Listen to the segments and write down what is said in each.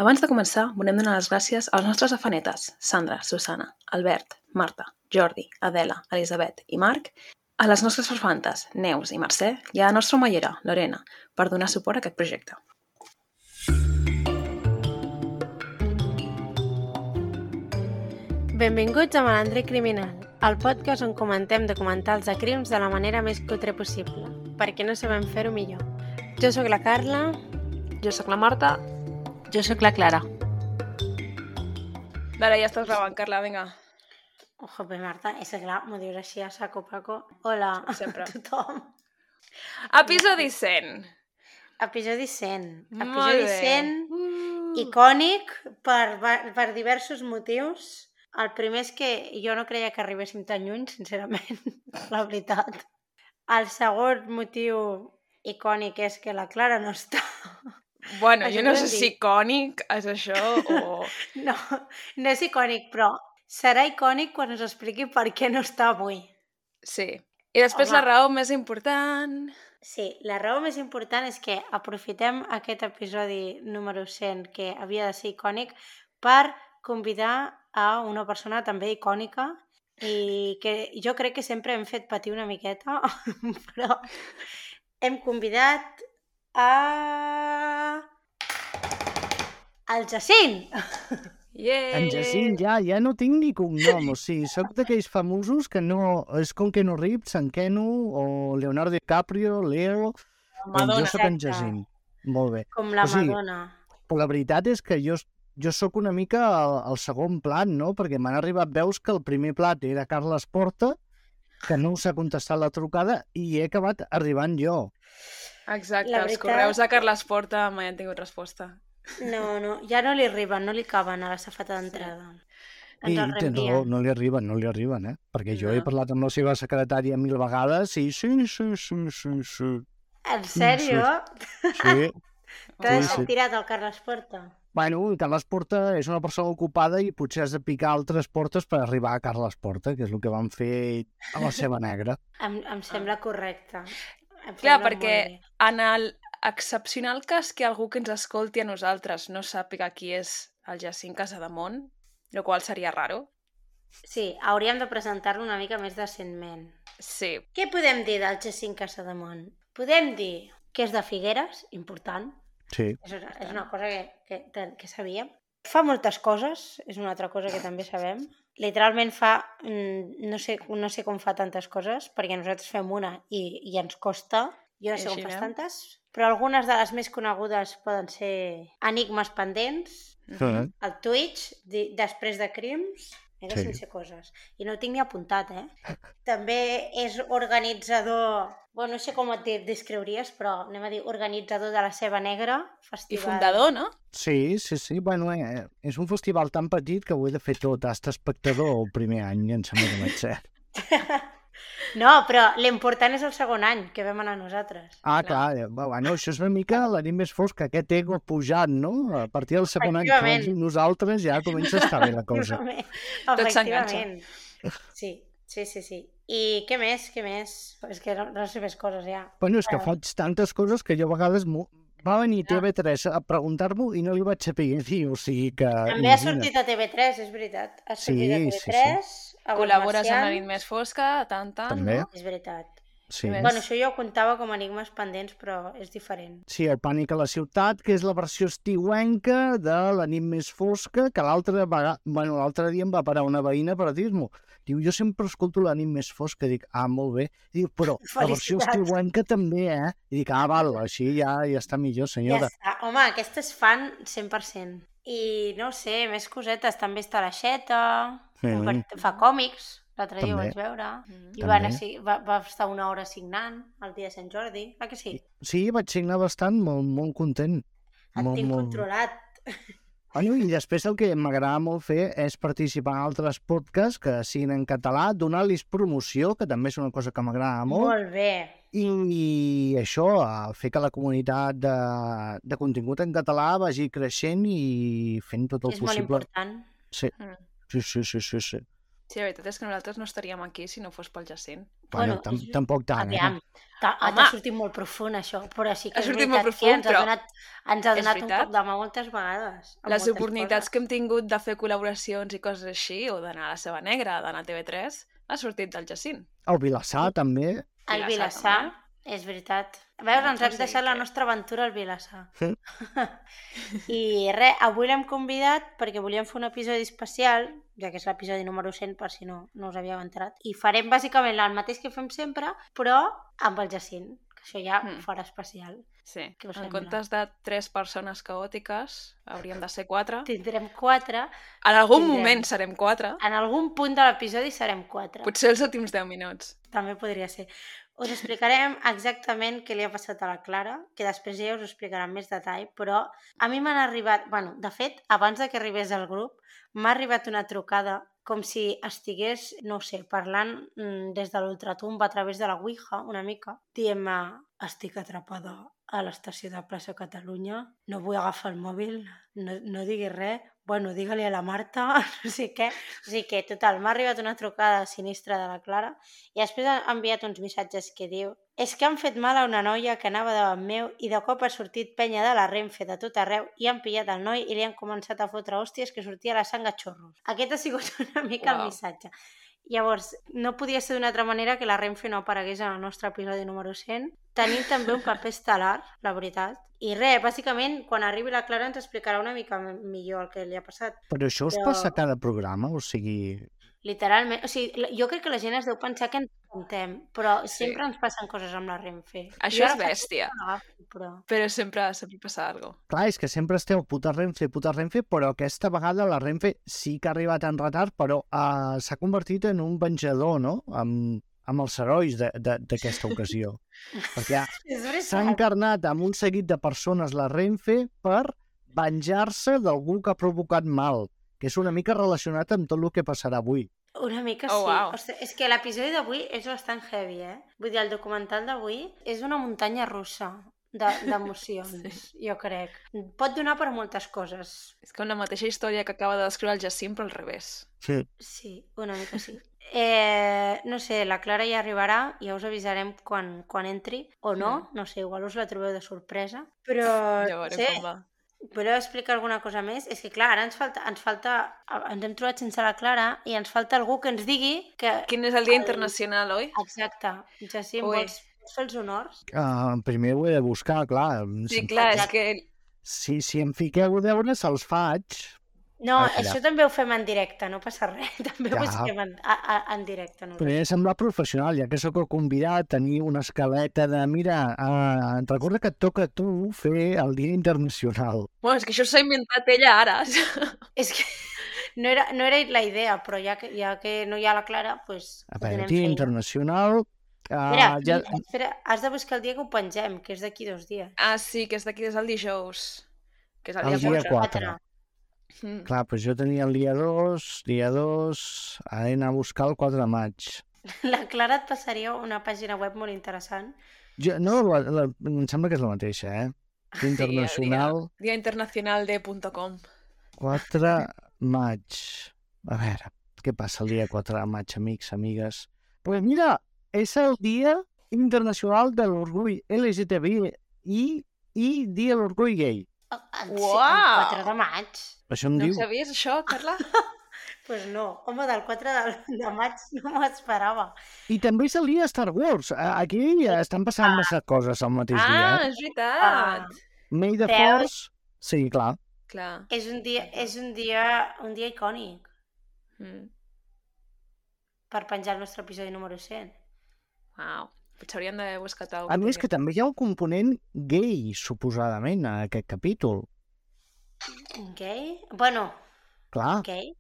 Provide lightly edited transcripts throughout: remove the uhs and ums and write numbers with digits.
Abans de començar, volem donar les gràcies als nostres afanetes, Sandra, Susana, Albert, Marta, Jordi, Adela, Elisabet i Marc, a les nostres farfantes, Neus i Mercè, i a la nostra omellera, Lorena, per donar suport a aquest projecte. Benvinguts a Malandre Criminal, el podcast on comentem documentals de crims de la manera més cutre possible, perquè no sabem fer-ho millor. Jo sóc la Carla. Jo sóc la Marta. Jo sóc la Clara. Dale, ja estàs gravant, Carla, vinga. Jope, Marta, és clar, m'ho dius així a saco paco. Hola Sempre. a tothom. Episodi 100. Episodi 100. Molt Episodi bé. 100, icònic per diversos motius. El primer és que jo no creia que arribéssim tan lluny, sincerament, la veritat. El segon motiu icònic és que la Clara no està. Bueno, Això jo no podem sé dir. si icònic és això o... No és icònic, però serà icònic quan us expliqui per què no està avui. Sí. I després Home. la raó més important... Sí, la raó més important és que aprofitem aquest episodi número 100, que havia de ser icònic, per convidar a una persona també icònica i que jo crec que sempre hem fet patir una miqueta, però hem convidat el Jacint. Yeah! En Jacint, ja no tinc ni cognom, o sigui, soc d'aquells famosos que no... És com Keanu Reeves, en Kenu, o Leonardo DiCaprio, Leo... Madonna. Jo soc en Exacte. Jacint. Molt bé. Com la O sigui, Madonna. Però la veritat és que jo sóc una mica al segon plat, no? Perquè m'han arribat veus que el primer plat era Carles Porta, que no us ha contestat la trucada, i he acabat arribant jo. Exacte, La els veritat- correus de Carles Porta mai han tingut resposta. No, ja no li arriben, no li caben a la safata d'entrada. I Ens el tens raó, reenvien. no li arriben, eh? Perquè jo he No. parlat amb la seva secretària 1000 vegades i sí. En sèrio? Sí. T'ha Sí, deixat sí. tirat el Carles Porta? Bueno, Carles Porta és una persona ocupada i potser has de picar altres portes per arribar a Carles Porta, que és el que van fer a la Ceba Negra. Em sembla correcte. Clar, perquè en el excepcional cas que algú que ens escolti a nosaltres no sàpiga qui és el Jacint Casademont, el qual seria raro. Sí, hauríem de presentar-lo una mica més decentment. Sí, Què podem dir del Jacint Casademont? Podem dir que és de Figueres, important. Sí. És una cosa que sabíem. Fa moltes coses, és una altra cosa que també sabem. Literalment fa, no sé com fa tantes coses, perquè nosaltres fem una i ens costa. Jo no sé com Així fas anem. tantes, però algunes de les més conegudes poden ser Enigmes pendents, el Twitch, després de crims, Sí. sense coses. I no ho tinc ni apuntat, També és organitzador, bueno, no sé com et descriuries, però anem a dir organitzador de la Ceba Negra, i festival. fundador, no? Sí. Bueno, és un festival tan petit que ho he de fer tot. Ha estat espectador el primer any, em sembla que vaig ser. No, però l'important és el segon any que vam anar nosaltres. Clar, bueno, això és una mica la nit més fosca, aquest ego pujant, no? A partir del segon any que Efectivament. vagin nosaltres ja comença a estar bé la cosa. Tot s'enganxa. Sí. I què més? És que no sé més coses ja. Bueno, és que faig tantes coses que jo a vegades va venir TV3 a preguntar-m'ho i no li vaig saber dir, o sigui que... També ha sortit a TV3, és veritat. Ha sortit a Sí, TV3, a Col·labores amb la Marcial. nit més fosca, tant, També. no? És veritat. Sí. Bueno, això jo ho comptava com a enigmes pendents, però és diferent. Sí, el Pànic a la ciutat, que és la versió estiuenca de la nit més fosca, que l'altre dia em va parar una veïna per dir-m'ho. Diu, jo sempre escolto la nit més fosca. Dic, molt bé. Diu, però la versió Felicitats. estiuenca també, I dic, val, així ja està millor, senyora. Ja està. Home, aquesta és fan 100%. I no ho sé, més cosetes. També està la Xeta, fa còmics, l'altre dia ho També. vaig veure. I També. va estar una hora signant el dia de Sant Jordi. Ah, que sí? Sí, vaig signar bastant, molt content. Et tinc controlat. Bueno, i després el que m'agrada molt fer és participar en altres podcasts que siguin en català, donar-los promoció, que també és una cosa que m'agrada molt. Molt bé. I això, fer que la comunitat de contingut en català vagi creixent i fent tot el És molt possible. important. Sí. Sí. Sí, la veritat és que nosaltres no estaríem aquí si no fos pel Jacint. Bueno, tampoc tant, Aviam, t'ha sortit molt profund, això, però sí que Ha és sortit veritat molt profund, que ens ha és donat un veritat. cop de mà moltes vegades. amb Les moltes oportunitats coses. que hem tingut de fer col·laboracions i coses així, o d'anar a la Seva Negra, d'anar a TV3, ha sortit del Jacint. El Vilassar, també. El Vilassar, Vilassar, també. és veritat. Veus, ens hem Sí, deixat la que- nostra aventura al Vilassar. Sí. I res, avui l'hem convidat perquè volíem fer un episodi especial, ja que és l'episodi número 100, per si no us havíeu enterat. I farem bàsicament el mateix que fem sempre, però amb el Jacint, que això ja ho farà especial. Sí, Què us en sembla? comptes de 3 persones caòtiques, hauríem de ser 4. Tindrem 4. En algun tindrem. moment serem 4. En algun punt de l'episodi serem 4. Potser els últims 10 minuts. També podria ser. Us explicarem exactament què li ha passat a la Clara, que després ja us ho explicarà en més detall, però a mi m'han arribat... Bueno, de fet, abans de que arribés al grup, m'ha arribat una trucada com si estigués, no ho sé, parlant des de l'ultratumba a través de la Ouija, una mica, dient-me, estic atrapada a l'estació de Plaça Catalunya, no vull agafar el mòbil, no diguis res, bueno, digue-li a la Marta, no sé què. O sigui que, total, m'ha arribat una trucada sinistra de la Clara i després ha enviat uns missatges que diu: és que han fet mal a una noia que anava davant meu i de cop ha sortit penya de la Renfe de tot arreu i han pillat el noi i li han començat a fotre hòsties que sortia la sang a xorros. Aquest ha sigut una mica el missatge. Llavors, no podia ser d'una altra manera que la Renfe no aparegués en el nostre episodi número 100. Tenim també un paper estel·lar, la veritat. I res, bàsicament, quan arribi la Clara ens explicarà una mica millor el que li ha passat. Però això us passa a cada programa? O sigui... Literalment. O sigui, jo crec que la gent es deu pensar que ens contem, però sempre ens passen coses amb la Renfe. Això és bèstia. Però... Però sempre passa alguna cosa. Clar, és que sempre esteu puta Renfe, però aquesta vegada la Renfe sí que ha arribat en retard, però s'ha convertit en un venjador, no?, amb els herois d'aquesta ocasió. Perquè s'ha encarnat amb un seguit de persones la Renfe per venjar-se d'algú que ha provocat mal, que és una mica relacionat amb tot el que passarà avui. Una mica Oh, sí. wow. Ostres, és que l'episodi d'avui és bastant heavy, Vull dir, el documental d'avui és una muntanya russa d'emocions, jo crec. Pot donar per moltes coses. És com la mateixa història que acaba de descriure el Jacint, però al revés. Sí. Sí, una mica sí. No sé, la Clara ja arribarà, ja us avisarem quan entri, o no, no sé, igual us la trobeu de sorpresa, però Ja veurem com va. voleu explicar alguna cosa més? És que clar, ara ens hem trobat sense la Clara i ens falta algú que ens digui que... Quin és el Dia Internacional, oi? Exacte. Jacint, Ui. vols fer els honors? Primer ho he de buscar, clar. Sí, clar, és que... Si em fiqueu deures, els faig. No, Espera. això també ho fem en directe, no passa res. També ho Ja. busquem en directe. No? Però he de semblar professional, ja que sóc el convidat, tenir una escaleta de, mira, recorda que et toca a tu fer el Dia Internacional. Bueno, és que això s'ha inventat ella ara. És que no era la idea, però ja que no hi ha la Clara, doncs A veure, donem Dia feina. Internacional... Espera, has de buscar el dia que ho pengem, que és d'aquí 2 dies. Ah, sí, que és d'aquí des del dijous. Que és el El dia dia 4. 4. Clar, doncs jo tenia el dia 2, ara he d'anar a buscar el 4 de maig. La Clara et passaria una pàgina web molt interessant. No, em sembla que és la mateixa, Dia Internacional, Dia Internacional de.com. 4 maig. A veure, què passa el dia 4 de maig, amics, amigues? Pues mira, és el Dia Internacional de l'Orgull LGTBI i Dia de l'Orgull Gay. El Uau! 4 de maig? Això em No diu... sabies això, Carla? Pues no. Home, del 4 de maig no m'ho esperava. I també és el dia de Star Wars. Aquí estan passant massa coses al mateix dia. Ah, és veritat. May the Veus? Force... Sí, clar. Clar. És un dia icònic per penjar el nostre episodi número 100. Uau. Potser hauríem d'haver buscat alguna cosa. A més que també hi ha un component gay, suposadament, a aquest capítol. Gay? Bueno, Clar, gay?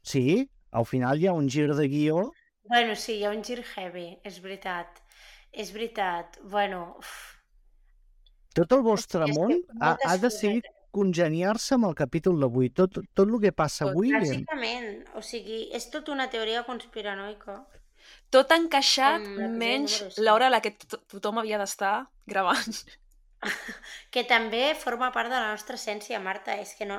sí, al final hi ha un gir de guió. Bueno, sí, hi ha un gir heavy, és veritat. És veritat. Bueno, Tot el vostre És que món moltes ha decidit congeniar-se amb el capítol d'avui. Tot el que passa avui... bàsicament, o sigui, és tota una teoria conspiranoica. Tot encaixat, Amb l'episodi menys número 100. l'hora a la que tothom havia d'estar gravant. Que també forma part de la nostra essència, Marta. És que no...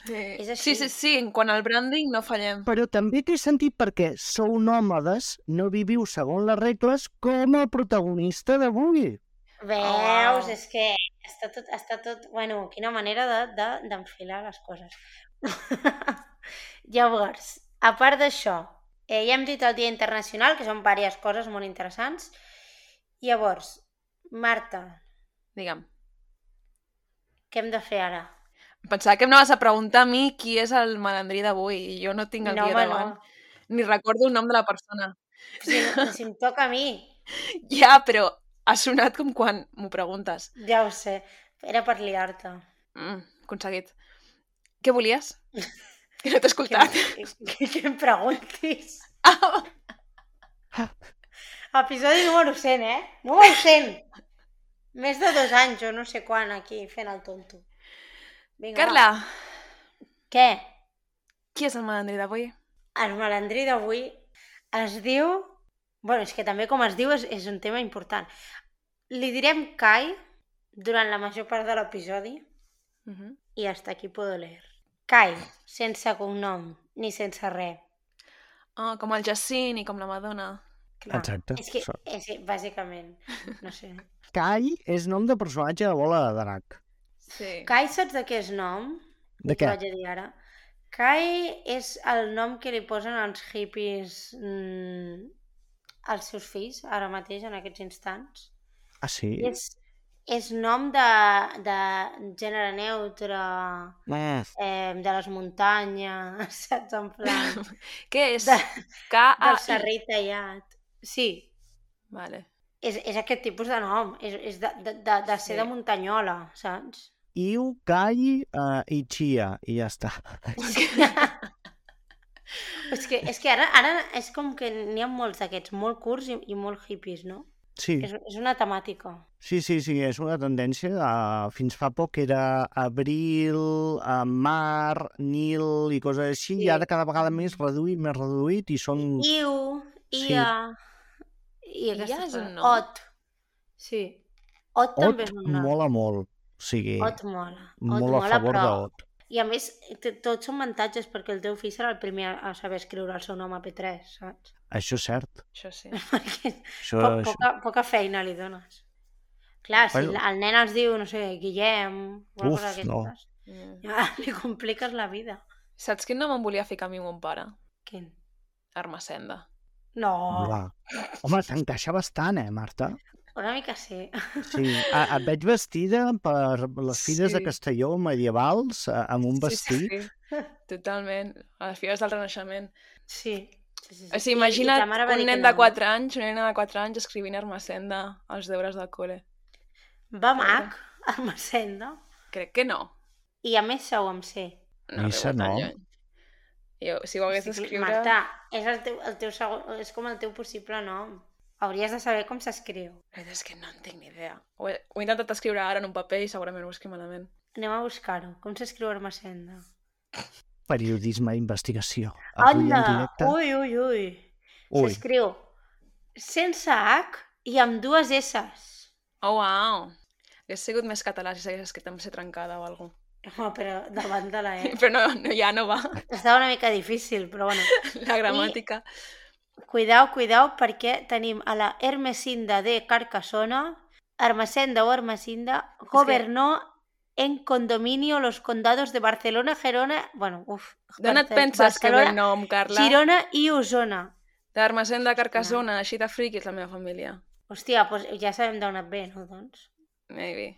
És així. Sí, en quant al branding no fallem. Però també té sentit perquè sou nòmades, no viviu segons les regles com el protagonista d'avui. Veus? És que està tot... Bueno, quina manera d'enfilar les coses. Llavors, a part d'això, ja hem dit el Dia Internacional, que són diverses coses molt interessants. Llavors, Marta, Digue'm. què hem de fer ara? Pensava que em anaves a preguntar a mi qui és el malandrí d'avui i jo no tinc el No, guió home, davant. no. Ni recordo el nom de la persona. Si em toca a mi. Ja, però ha sonat com quan m'ho preguntes. Ja ho sé. Era per liar-te. Aconseguit. Què volies? Que no t'he escoltat. Que em preguntis. Episodi número 100, Número 100! Més de 2 anys, o no sé quan, aquí, fent el tonto. Vinga, Carla, què? qui és el malandrí d'avui? El malandrí d'avui es diu... Bueno, és que també com es diu és un tema important. Li direm Kai durant la major part de l'episodi i hasta aquí puedo leer. Kai, sense cognom, ni sense res. Com el Jacint i com la Madonna. Clar. Exacte. És que, bàsicament, no sé. Kai és nom de personatge de Bola de Drac. Sí. Kai, saps de què és nom? De què? T'ho vaig a dir ara. Kai és el nom que li posen els hippies als seus fills, ara mateix, en aquests instants. Ah, sí? És nom de gènere neutre, de les muntanyes, saps? En plan... Què és? Del serrell tallat. Sí. Vale. És aquest tipus de nom. És de ser de muntanyola, saps? Iu, Kai i Chia, i ja està. És que ara és com que n'hi ha molts d'aquests, molt curts i molt hippies, no? Sí. És una temàtica. Sí, és una tendència. Fins fa poc era abril, mar, Nil i coses així, i ara cada vegada més reduït, i són... Iu, Ia... I Ia és un nom? Ot. Sí. Ot també és un nom. Mola molt. O sigui, Ot mola. molt a favor d'Ot. I a més, tots són avantatges perquè el teu fill serà el primer a saber escriure el seu nom a P3, saps? Això és cert. Això sí. Perquè poca feina li dones. Clar, si el nen es diu, no sé, Guillem... Uf, no. Ja li compliques la vida. Saps quin nom em volia ficar a mi mon pare? Quin? Armacenda. No. Home, t'encaixa bastant, Marta? Una mica sí. Sí, et veig vestida per les fires de Castelló medievals, amb un vestit. Sí, totalment. A les fires del Renaixement. Sí. O sigui, imagina't un nen de 4 anys, una nena de 4 anys escrivint Armacenda als deures del col·le. Va mac, Armacenda? Crec que no. I a més sou amb C. Missa no. Jo, si ho hagués d'escriure... Marta, és com el teu possible nom. Hauries de saber com s'escriu. És que no en tinc ni idea. Ho he intentat escriure ara en un paper i segurament ho escriu malament. Anem a buscar-ho. Com s'escriu Armacenda? Periodisme d'investigació. Avui en directe. Ui. S'escriu sense H i amb 2 S's. Oh, uau. Hauria sigut més català si s'hagués escrit amb C trencada o alguna cosa. Home, però davant de la E. Però ja no va. Estava una mica difícil, però bueno. La gramàtica. Cuidao, perquè tenim a la Ermesinda de Carcassona, Armacenda o Armacinda, gobernó en condominio los condados de Barcelona, Gerona... Bueno, D'on et penses que ve el nom, Carla? Girona i Osona. D'Armacenda, Carcassona, així de friqui és la meva família. Hòstia, doncs ja sabem d'on et ve, no, doncs? Maybe.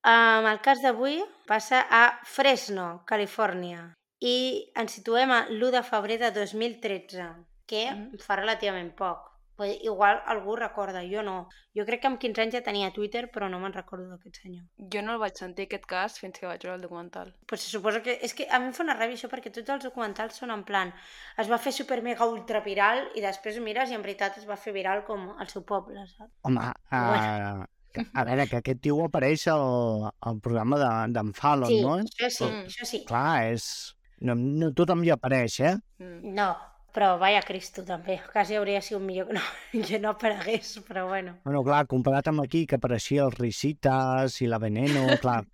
El cas d'avui passa a Fresno, Califòrnia, i ens situem a l'1 de febrer de 2013, que fa relativament poc. Igual algú recorda, jo no. Jo crec que amb 15 anys ja tenia Twitter, però no me'n recordo d'aquest senyor. Jo no el vaig sentir, aquest cas, fins que vaig veure el documental. Pues se suposa que... És que a mi em fa una ràbia això, perquè tots els documentals són en plan... Es va fer super mega ultra viral i després mires i en veritat es va fer viral com al seu poble, saps? Home, a veure, que aquest tio apareix al programa d'en Fallon, sí, no? Això sí. Clar, és... No tothom hi apareix, No, Però vaya Cristo, també. Quasi hauria sigut millor que no aparegués, però bueno. Bueno, clar, comparat amb aquí, que apareixia els Risitas i la Veneno, clar,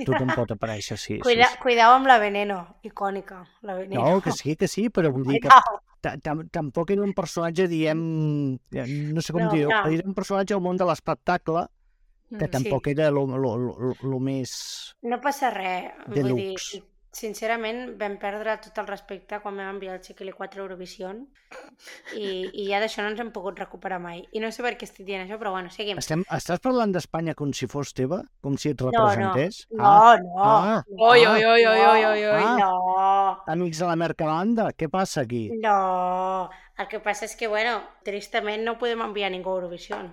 tothom pot aparèixer, sí. Cuidao amb la Veneno, icònica, la Veneno. No, que sí, però vull dir que tampoc era un personatge, diem, no sé com dir-ho, era un personatge al món de l'espectacle que tampoc era lo més... No passa res, vull dir, deluxe. sincerament vam perdre tot el respecte quan vam enviar el Chiquili 4 a Eurovision i ja d'això no ens hem pogut recuperar mai. I no sé per què estic dient això, però bueno, seguim. Estàs parlant d'Espanya com si fos teva? Com si et representés? No. Oi. No. Amics de la Mercalanda, què passa aquí? No, el que passa és que, bueno, tristament no podem enviar ningú a Eurovision.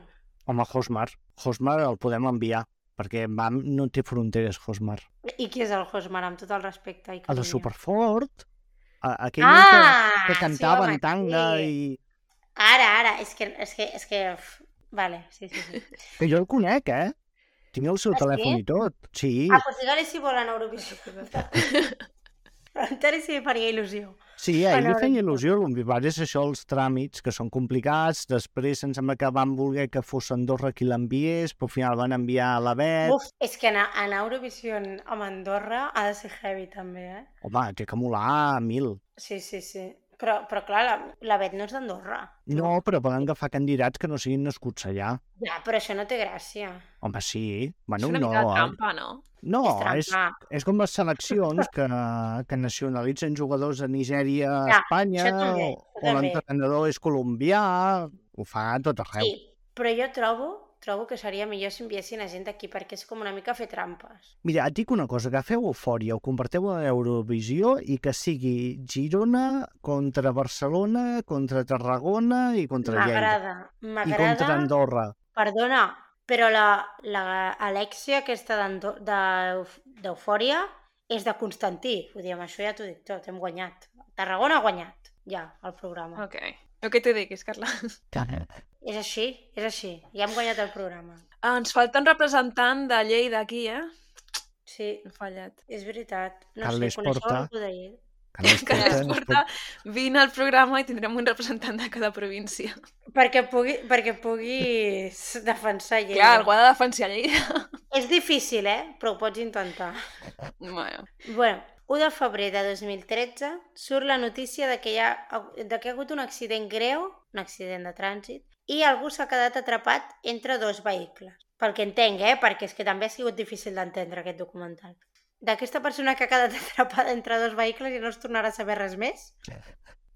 Home, Hosmar el podem enviar, perquè no té fronteres, Hosmar. I qui és el Hosmar, amb tot el respecte? El de Superfort, aquell que cantava en tanga i... Ara, és que... Vale, sí. Que jo el conec, Tinc el seu telèfon i tot, sí. Pues digue-li si vol anar a Eurovisió. Encara si li faria il·lusió. Sí, a ell li feia il·lusió, el que passa és això, els tràmits, que són complicats, després em sembla que van voler que fos Andorra qui l'enviés, però al final van enviar a la Bet. És que anar a Eurovisió amb Andorra ha de ser heavy també, Home, té que molar 1000. Sí. Però clar, la Bet no és d'Andorra. No, però poden agafar candidats que no siguin nascuts allà. Ja, però això no té gràcia. Home, sí. Bueno, és una mica de trampa, no? No, és com les seleccions que nacionalitzen jugadors de Nigèria a Espanya, o l'entrenador és colombià, ho fa a tot arreu. Sí, però jo trobo que seria millor si enviessin a gent d'aquí, perquè és com una mica fer trampes. Mira, et dic una cosa, agafeu Eufòria, ho converteu a Eurovisió i que sigui Girona contra Barcelona, contra Tarragona i contra Lleida. M'agrada. I contra Andorra. Perdona, però l'Alexia aquesta d'Eufòria és de Constantí. Vull dir, amb això ja t'ho dic tot, hem guanyat. Tarragona ha guanyat, ja, el programa. Ok. El que t'ho diguis, Carla. És així, ja hem guanyat el programa. Ens falta un representant de Lleida aquí, Sí. He fallat. És veritat. No Carles sé, coneixeu Porta. algú d'ahir? Carles Porta, vine al programa i tindrem un representant de cada província. Perquè puguis defensar Lleida. Clar, algú ha de defensar Lleida. És difícil, però ho pots intentar. Bueno, 1 de febrer de 2013 surt la notícia de que ha hagut un accident greu, un accident de trànsit, i algú s'ha quedat atrapat entre 2 vehicles. Pel que entenc, perquè és que també ha sigut difícil d'entendre aquest documental. D'aquesta persona que ha quedat atrapada entre 2 vehicles i no es tornarà a saber res més.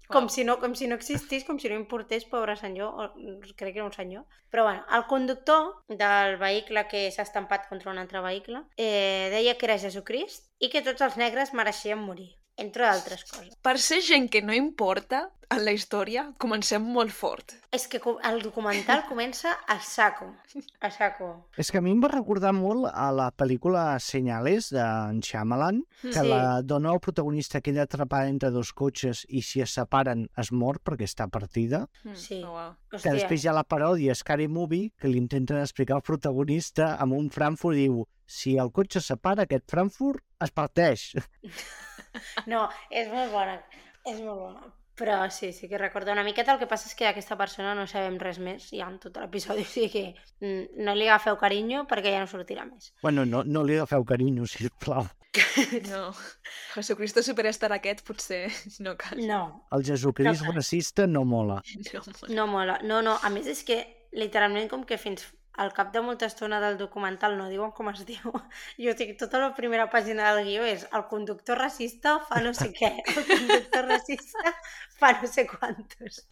Com si no existís, com si no importés, pobre senyor, crec que era un senyor. Però bueno, el conductor del vehicle que s'ha estampat contra un altre vehicle deia que era Jesucrist i que tots els negres mereixien morir, entre d'altres coses. Per ser gent que no importa en la història, comencem molt fort. És que el documental comença a saco. És que a mi em va recordar molt a la pel·lícula Señales d'en Shyamalan, que la dona o protagonista queda atrapada entre 2 cotxes i si es separen es mor perquè està partida. Sí. Que després hi ha la paròdia Scary Movie que li intenten explicar al protagonista amb un Frankfurt i diu si el cotxe es separa, aquest Frankfurt es parteix. No, és molt bona. Però sí que recordo una miqueta. El que passa és que d'aquesta persona no sabem res més ja en tot l'episodi, o sigui que no li agafeu carinyo perquè ja no sortirà més. Bueno, no li agafeu carinyo, sisplau. No, Jesucristo Superstar aquest potser no cal. No. El Jesucrist racista no mola. No mola. No, a més és que literalment com que fins al cap de molta estona del documental no diuen com es diu. Jo dic, tota la primera pàgina del guió és el conductor racista fa no sé què, el conductor racista fa no sé quantos.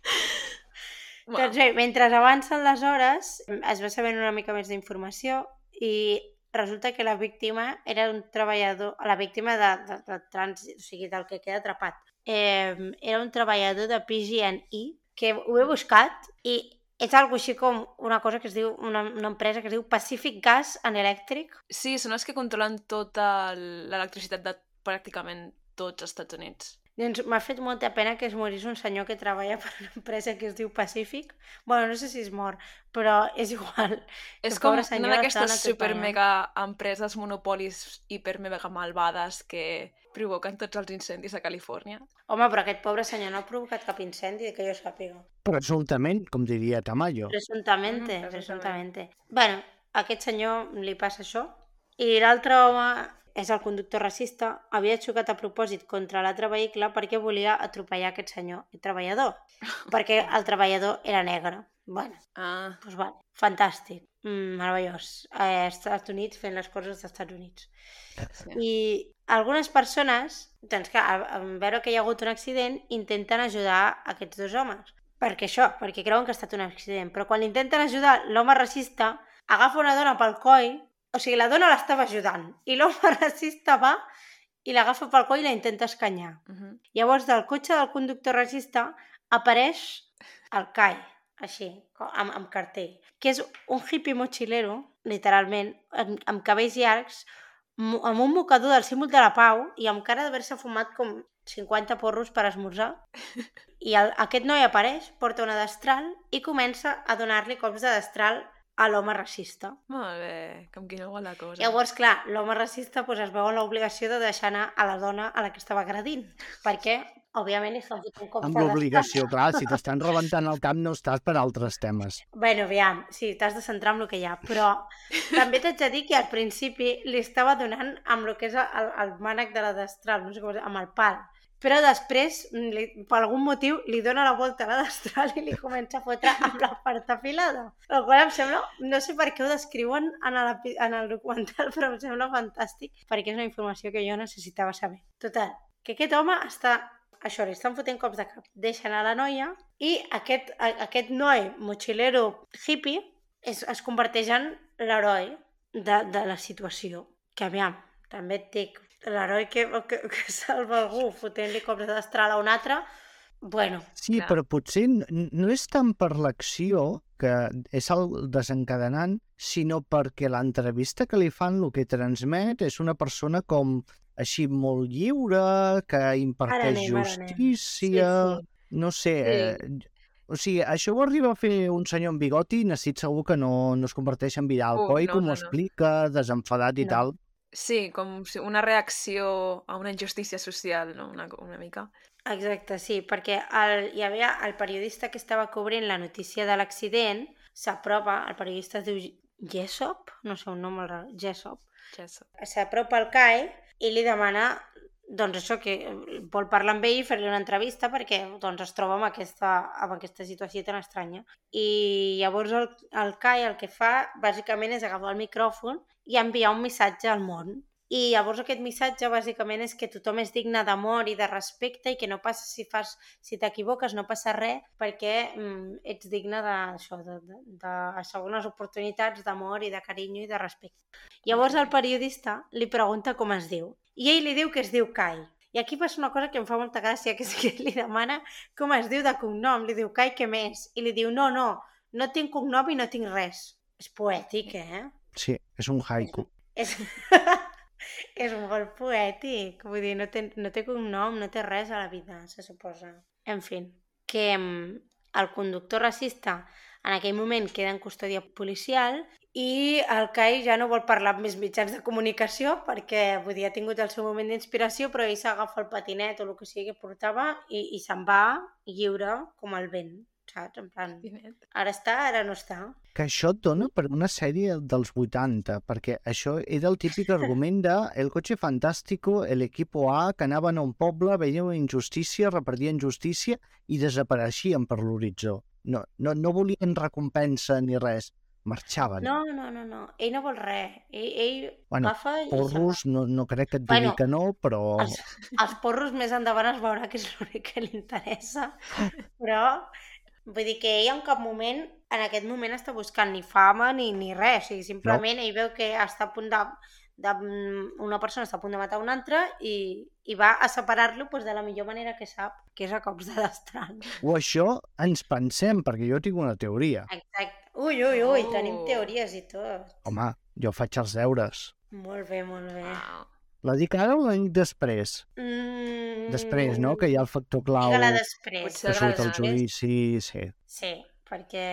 Wow. Doncs bé, mentre avancen les hores es va sabent una mica més d'informació i resulta que la víctima era un treballador, la víctima de trànsit, o sigui, del que queda atrapat. Era un treballador de PG&E, que ho he buscat i és algo així com una cosa que es diu, una empresa que es diu Pacific Gas and Electric. Sí, són els que controlen tota l'electricitat de pràcticament tots els Estats Units. Doncs m'ha fet molta pena que es morís un senyor que treballa per una empresa que es diu Pacífic. Bueno, no sé si es mor, però és igual. És El com pobre senyor una l'estaven d'aquestes super atropellant. mega empreses monopolis hiper mega malvades que provoquen tots els incendis a Califòrnia. Home, però aquest pobre senyor no ha provocat cap incendi, que jo sàpiga. Presumptament, com diria Tamayo. Presuntamente, Presuntament. presuntamente. Bueno, a aquest senyor li passa això. I l'altre home és el conductor racista, havia xocat a propòsit contra l'altre vehicle perquè volia atropellar aquest senyor, el treballador, perquè el treballador era negre. Bueno, doncs vale, fantàstic, meravellós. Als Estats Units fent les coses dels Estats Units. Sí. I algunes persones, doncs clar, en veure que hi ha hagut un accident, intenten ajudar aquests dos homes. Perquè creuen que ha estat un accident. Però quan l'intenten ajudar, l'home racista agafa una dona pel coll, o sigui, la dona l'estava ajudant, i l'home racista va i l'agafa pel coll i la intenta escanyar. Llavors, del cotxe del conductor racista apareix el Kai, així, amb cartell, que és un hippie mochilero, literalment, amb cabells llargs, amb un mocador del símbol de la pau i amb cara d'haver-se fumat com 50 porros per esmorzar. I aquest noi apareix, porta una destral i comença a donar-li cops de destral a l'home racista. Molt bé, com quina bona cosa. Llavors, clar, l'home racista es veu en l'obligació de deixar anar a la dona a la que estava agredint, perquè, òbviament, estan fotent cops de Amb destral. l'obligació, clar, si t'estan rebentant el camp no estàs per altres temes. Bueno, aviam, sí, t'has de centrar en el que hi ha, però també t'haig de dir que al principi li estava donant amb el que és el mànec de la destral, no sé com, amb el pal. Però després, per algun motiu, li dona la volta a la destral i li comença a fotre amb la part afilada. El qual em sembla, no sé per què ho descriuen en el documental, però em sembla fantàstic, perquè és una informació que jo necessitava saber. Total, que aquest home està, això, li estan fotent cops de cap, deixen a la noia i aquest noi mochilero hippie es converteix en l'heroi de la situació. Que aviam, també et dic, l'heroi que salva algú fotent-li cops de destral a un altre, bueno. Sí, clar. però potser no és tant per l'acció, que és el desencadenant, sinó perquè l'entrevista que li fan, el que transmet, és una persona com així molt lliure, que imparteix justícia, no sé... O sigui, això ho arriba a fer un senyor amb bigoti i n'estic segur que no es converteix en Vidal Coll, com ho explica, desenfadat i tal. Sí, com una reacció a una injustícia social, no? Una mica. Exacte, sí, perquè hi havia el periodista que estava cobrint la notícia de l'accident, s'apropa, el periodista es diu Jessop, no sé, un nom molt rar, Jessop. S'apropa al Kai i li demana, doncs això, que vol parlar amb ell i fer-li una entrevista perquè doncs, es troba amb aquesta situació tan estranya. I llavors el Kai el que fa, bàsicament, és agafar el micròfon i enviar un missatge al món. I llavors aquest missatge bàsicament és que tothom és digne d'amor i de respecte i que no passa si t'equivoques, no passa res perquè ets digne de segones oportunitats d'amor i de carinyo i de respecte. Llavors el periodista li pregunta com es diu i ell li diu que es diu Kai. I aquí passa una cosa que em fa molta gràcia, que és que li demana com es diu de cognom, li diu Kai què més? I li diu no tinc cognom i no tinc res. És poètic, Sí, és un haiku. És molt poètic, vull dir, no té cognom, no té res a la vida, se suposa. En fi, que el conductor racista en aquell moment queda en custòdia policial i el Kai ja no vol parlar amb més mitjans de comunicació perquè, vull dir, ha tingut el seu moment d'inspiració, però ell s'agafa el patinet o el que sigui que portava i se'n va lliure com el vent. Saps? En plan, ara està, ara no està. Que això et dona per una sèrie dels 80, perquè això era el típic argument de El coche fantástico, el equipo A, que anaven a un poble, veien una injustícia, repartien justícia i desapareixien per l'horitzó. No volien recompensa ni res, marxaven. No. Ell no vol res. Ell agafa i... Porros, no crec que et digui que no, però... Els porros més endavant es veurà que és l'únic que li interessa, però... Vull dir que ell en cap moment, en aquest moment, està buscant ni fama ni res. O sigui, simplement ell veu que està a punt una persona està a punt de matar una altra i va a separar-lo de la millor manera que sap, que és a cops de destral. O això ens pensem, perquè jo tinc una teoria. Exacte. Ui, tenim teories i tot. Home, jo faig els deures. Molt bé. Wow. La dic ara o la dic després? Després, no? Que hi ha el factor clau Digue-la després. Potser que surt al agradarà més. judici, sí. Sí, perquè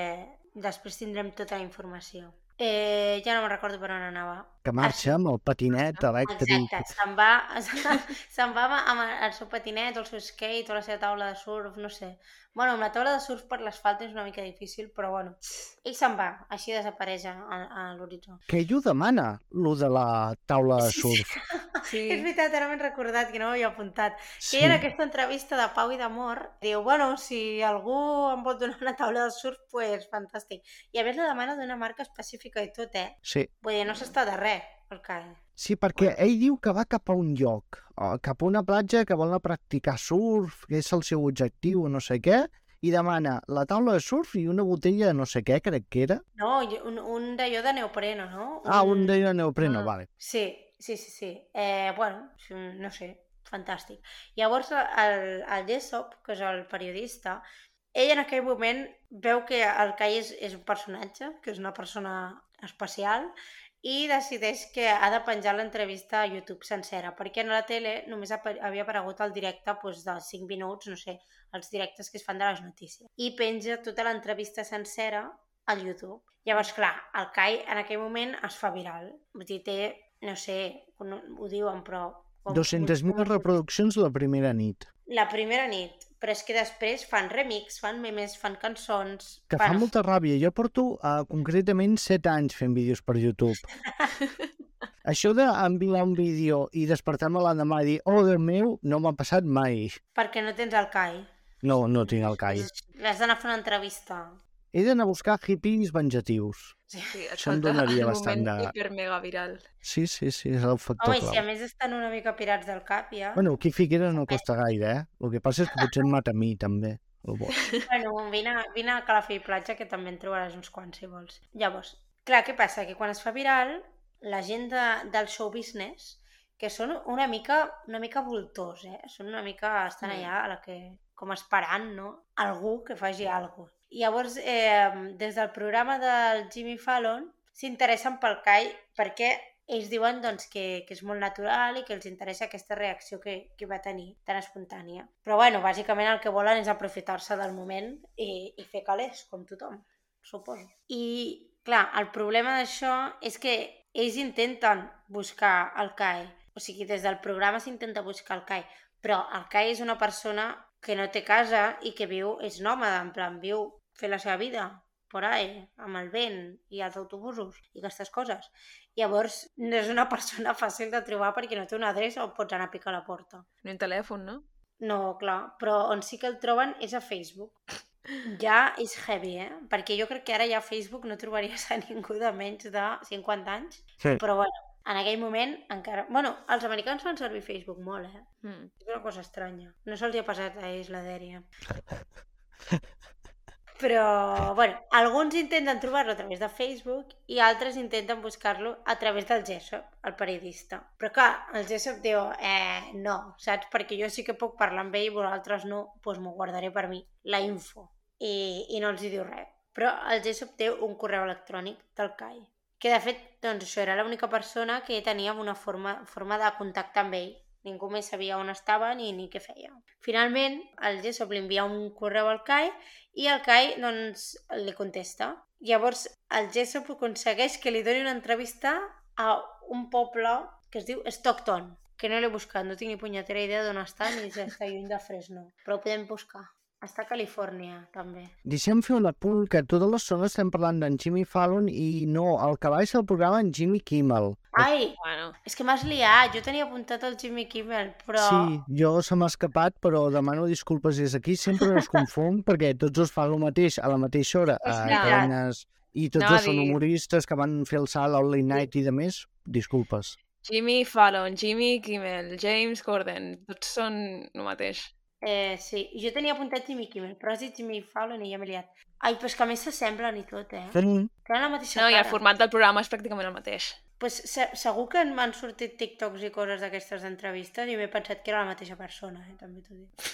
després tindrem tota la informació. Ja no me'n recordo per on anava. Que marxa amb el patinet elèctric. Exacte, se'n va amb el seu patinet, el seu skate o la seva taula de surf, no sé. Bueno, amb la taula de surf per l'asfalt és una mica difícil, però bueno, ell se'n va, així desapareix a l'horitzó. Que ell ho demana, lo de la taula de surf. Sí. És veritat, ara m'he recordat que no m'havia apuntat. Sí. Que ell en aquesta entrevista de pau i d'amor diu, bueno, si algú em pot donar una taula de surf, pues fantàstic. I a més la demana d'una marca específica i tot, Sí. Vull dir, no s'està de res, el CAE. Sí, perquè ell diu que va cap a un lloc, cap a una platja que vol anar a practicar surf, que és el seu objectiu, no sé què, i demana la taula de surf i una botella de no sé què, crec que era. No, un d'allò de neopreno, no? Un de neopreno, vale. Sí. Bueno, no sé, fantàstic. Llavors, el Jessop, que és el periodista, ell en aquell moment veu que el Kai és un personatge, que és una persona especial, i decideix que ha de penjar l'entrevista a YouTube sencera, perquè en la tele només havia aparegut el directe de 5 minuts, no sé, els directes que es fan de les notícies. I penja tota l'entrevista sencera al YouTube. Llavors, clar, el Kai en aquell moment es fa viral. Vull dir, té, no sé, ho diuen, però... 200.000 reproduccions la primera nit. La primera nit, però és que després fan remix, fan memes, fan cançons... Que fa molta ràbia. Jo porto concretament 7 anys fent vídeos per YouTube. Això d'enviar un vídeo i despertar-me l'endemà i dir oh, Déu meu, no m'ha passat mai. Perquè no tens el Kai. No, no tinc el Kai. L'has d'anar a fer una entrevista. He d'anar a buscar hippies vengatius. Sí, això em donaria bastant de... Un moment hiper-mega viral. Sí, és el factor Home, clau. i si a més estan una mica pirats del cap, ja... Bueno, aquí Figueres no costa gaire, El que passa és que potser em mata a mi, també. Bueno, vine a Calafell i Platja, que també en trobaràs uns quants, si vols. Llavors, clar, què passa? Que quan es fa viral, la gent del show business, que són una mica voltors, Són una mica... Estan allà com esperant, no? Algú que faci alguna cosa. Llavors, des del programa del Jimmy Fallon s'interessen pel Kai perquè ells diuen doncs, que és molt natural i que els interessa aquesta reacció que va tenir tan espontània. Però bueno, bàsicament el que volen és aprofitar-se del moment i fer calés, com tothom, suposo. I clar, el problema d'això és que ells intenten buscar el Kai. O sigui, des del programa s'intenta buscar el Kai, però el Kai és una persona que no té casa i que és nòmada, en plan, viu fer la seva vida por ahí, amb el vent i els autobusos i aquestes coses. Llavors, no és una persona fàcil de trobar perquè no té una adreça on pots anar a picar a la porta. Ni un telèfon, no? No, clar, però on sí que el troben és a Facebook. Ja és heavy, Perquè jo crec que ara ja a Facebook no trobaries a ningú de menys de 50 anys, sí. Però bueno, en aquell moment encara... Bueno, els americans fan servir Facebook molt, És una cosa estranya. No se'ls ha passat a ells la dèria. Però, bueno, alguns intenten trobar-lo a través de Facebook i altres intenten buscar-lo a través del Jessop, el periodista. Però clar, el Jessop diu, no, saps? Perquè jo sí que puc parlar amb ell i vosaltres no, doncs m'ho guardaré per mi, la info. I no els hi diu res. Però el Jessop té un correu electrònic del Kai, que de fet, doncs això era l'única persona que tenia una forma de contactar amb ell. Ningú més sabia on estava ni què feia. Finalment, el Jessop li envia un correu al Kai i el Kai, doncs, li contesta. Llavors, el Jessop aconsegueix que li doni una entrevista a un poble que es diu Stockton, que no l'he buscat, no tinc ni punyetera idea d'on està ni si està lluny de Fresno, però ho podem buscar. Està a Califòrnia, també. Deixem fer un apunt que totes les zones estem parlant d'en Jimmy Fallon i no, el que va ser el programa en Jimmy Kimmel. Ai, bueno. És que m'has liat, jo tenia apuntat el Jimmy Kimmel, però... Sí, jo se m'ha escapat, però demano disculpes des d'aquí, sempre es confon, perquè tots els fan el mateix a la mateixa hora, a cadenes, i tots dos són humoristes que van fer el salt al late night i de més, disculpes. Jimmy Fallon, Jimmy Kimmel, James Corden, tots són el mateix. Sí, jo tenia apuntat Jimmy Kimmel, però has dit Jimmy Fallon i ja m'he liat. Ai, però és que a més s'assemblen i tot, Tenen la mateixa cara. No, i el format del programa és pràcticament el mateix. Pues segur que m'han sortit TikToks i coses d'aquestes d'entrevistes i m'he pensat que era la mateixa persona, també t'ho dic.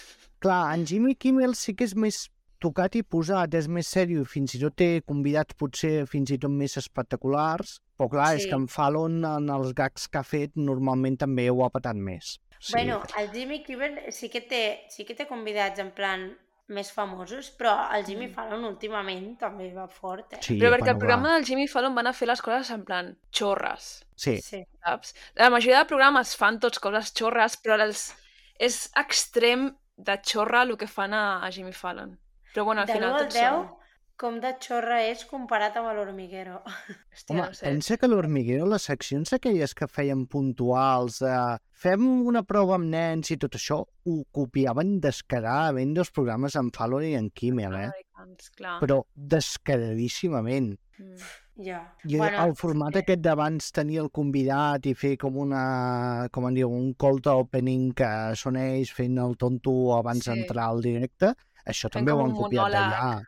Clar, en Jimmy Kimmel sí que és més tocat i posat, és més sèrio, fins i tot té convidats potser fins i tot més espectaculars, però clar, és que en Fallon, en els gags que ha fet, normalment també ho ha patat més. Bueno, el Jimmy Kimmel sí que té convidats en plan més famosos, però el Jimmy Fallon últimament també va fort, Sí, Però perquè bueno, el programa del Jimmy Fallon van a fer les coses en plan xorres, Sí. saps? La majoria de programes fan tots coses xorres, però és extrem de xorra el que fan a Jimmy Fallon. Però bueno, al De final 1 al tots 10, són... com de xorra és comparat amb l'Hormiguero. Hòstia, Home, no sé. pensa que l'Hormiguero, les seccions aquelles que feien puntuals, fem una prova amb nens i tot això, ho copiaven descaradament dels programes en Fallon i en Kimmel, Americans, clar. però descaradíssimament. Ja. I el format aquest d'abans tenir el convidat i fer com com en diu, un cold opening que són ells fent el tonto abans d'entrar al directe, això Fent també ho com han un copiat monòleg. d'allà.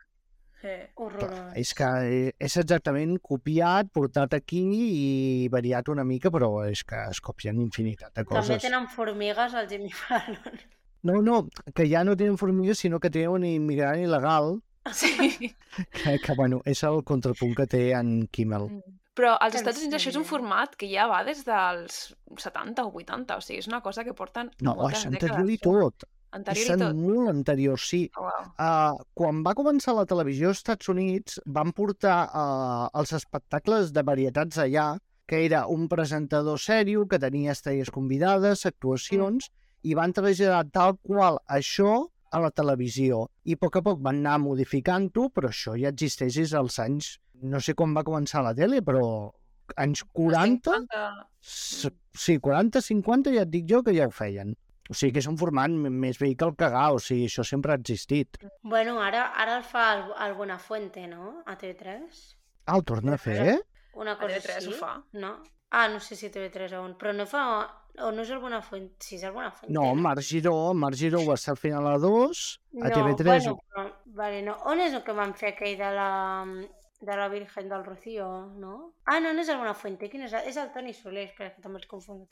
Horrorós. És que és exactament copiat, portat aquí i variat una mica, però és que es copien infinitat de coses. També tenen formigues al Jimmy Fallon. No, que ja no tenen formigues, sinó que tenen un immigrant il·legal, Sí. que bueno, és el contrapunt que té en Kimmel. Però als En Estats Units això és un sèrio? format que ja va des dels 70 o 80, o sigui, és una cosa que porten No, moltes és dècades. anterior i tot. Anterior És i tot. molt anterior, sí. Oh, wow. Quan va començar la televisió als Estats Units, van portar els espectacles de varietats allà, que era un presentador sèrio, que tenia estrelles convidades, actuacions, i van traslladar tal qual això a la televisió. I a poc van anar modificant-ho, però això ja existeix des dels anys... No sé quan va començar la tele, però anys 40... 50... Sí, 40, 50, ja et dic jo que ja ho feien. O sigui que és un format més vell que el cagar, o sigui, això sempre ha existit. Bueno, ara el fa el Buenafuente, no? A TV3. Ah, el torna a fer? Una cosa TV3 així. ho fa. No? Ah, no sé si TV3 on, però no fa... O no és el Buenafuente? Sí, és el Buenafuente. No, Marc Giró va ser al final a 2, a TV3... Bueno, però, vale, no. On és el que van fer aquell de la Virgen del Rocío, no? Ah, no és el Buenafuente, quin és? És el Toni Soler, espera, que també els confondo.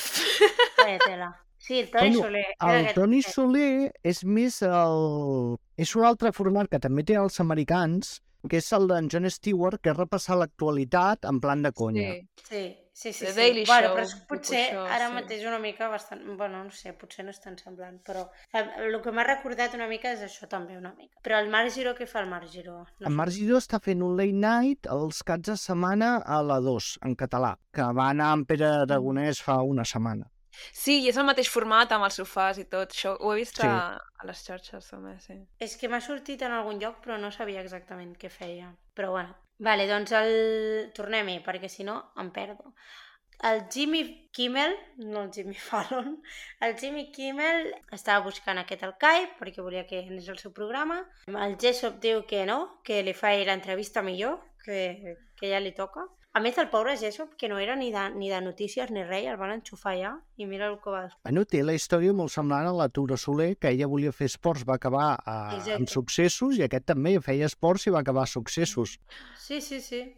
Vaya tela. Sí, el Toni Soler. El Toni Soler és més el... És un altre format que també té els americans, que és el d'en Jon Stewart, que és repassar l'actualitat en plan de conya. Sí. The Daily Bueno, Show, però potser això, ara sí. mateix una mica bastant... Bueno, no sé, potser no és tan semblant, però el que m'ha recordat una mica és això també, una mica. Però el Marc Giró, què fa el Marc Giró? No En sé. Marc Giró està fent un late night els caps de setmana a la 2, en català, que va anar amb Pere Aragonès fa una setmana. Sí, i és el mateix format amb els sofàs i tot. Això ho he vist Sí. a les xarxes també, sí. És que m'ha sortit en algun lloc, però no sabia exactament què feia. Però bueno. Vale, doncs tornem-hi, perquè si no em perdo. El Jimmy Kimmel, no el Jimmy Fallon, el Jimmy Kimmel estava buscant aquest al Skype perquè volia que anés al seu programa. El Jessop diu que no, que li fa l'entrevista millor, que ja li toca. A més, el pobre Jessop, que no era ni de notícies ni res, el van enxufar ja i mira el que va descobrir. Bueno, té la història molt semblant a la Tura Soler, que ella volia fer esports, va acabar amb successos, i aquest també feia esports i va acabar a successos. Sí,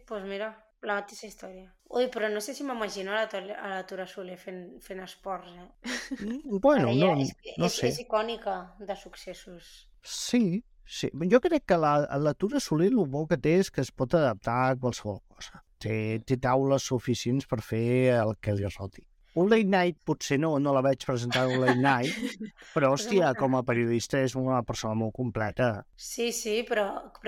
pues mira, la mateixa història. Ui, però no sé si m'imagino a la Tura Soler fent esports, Bueno, no sé. És icònica de successos. Sí. Jo crec que la Tura Soler el bo que té és que es pot adaptar a qualsevol cosa. Té taules suficients per fer el que li roti. Un late night potser no la veig presentar un late night, però hòstia, com a periodista és una persona molt completa. Sí, però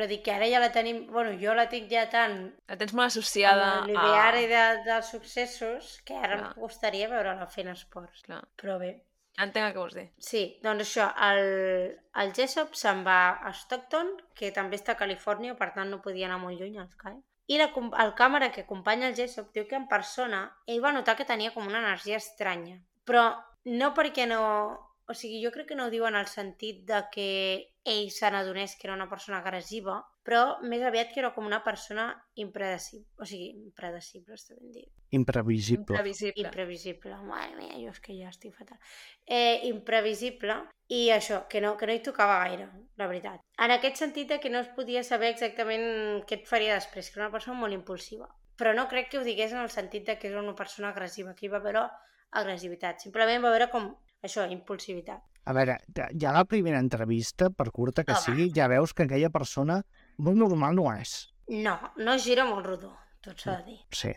dic que ara ja la tenim... Bueno, jo la tinc ja tan... La tens molt associada a l'ideari dels successos que ara em costaria veure-la fent esports. Clar. Però bé. Entenc el que vols dir. Sí, doncs això, el Jessop se'n va a Stockton, que també està a Califòrnia, per tant no podia anar molt lluny al Skype. I el càmera que acompanya el Jessop diu que en persona ell va notar que tenia com una energia estranya. Però no perquè no... O sigui, jo crec que no ho diu en el sentit de que ell se n'adonés que era una persona agressiva, però més aviat que era com una persona impredecible. O sigui, impredecible, està ben dit. Imprevisible. Imprevisible. Mare mia, jo és que ja estic fatal. Imprevisible i això, que no hi tocava gaire, la veritat. En aquest sentit que no es podia saber exactament què et faria després, que era una persona molt impulsiva. Però no crec que ho digués en el sentit que era una persona agressiva, que hi va haver agressivitat. Simplement va haver com això, impulsivitat. A veure, ja la primera entrevista, per curta que sigui, ja veus que aquella persona molt normal no és. No gira molt rodó, tot s'ha de dir. Sí.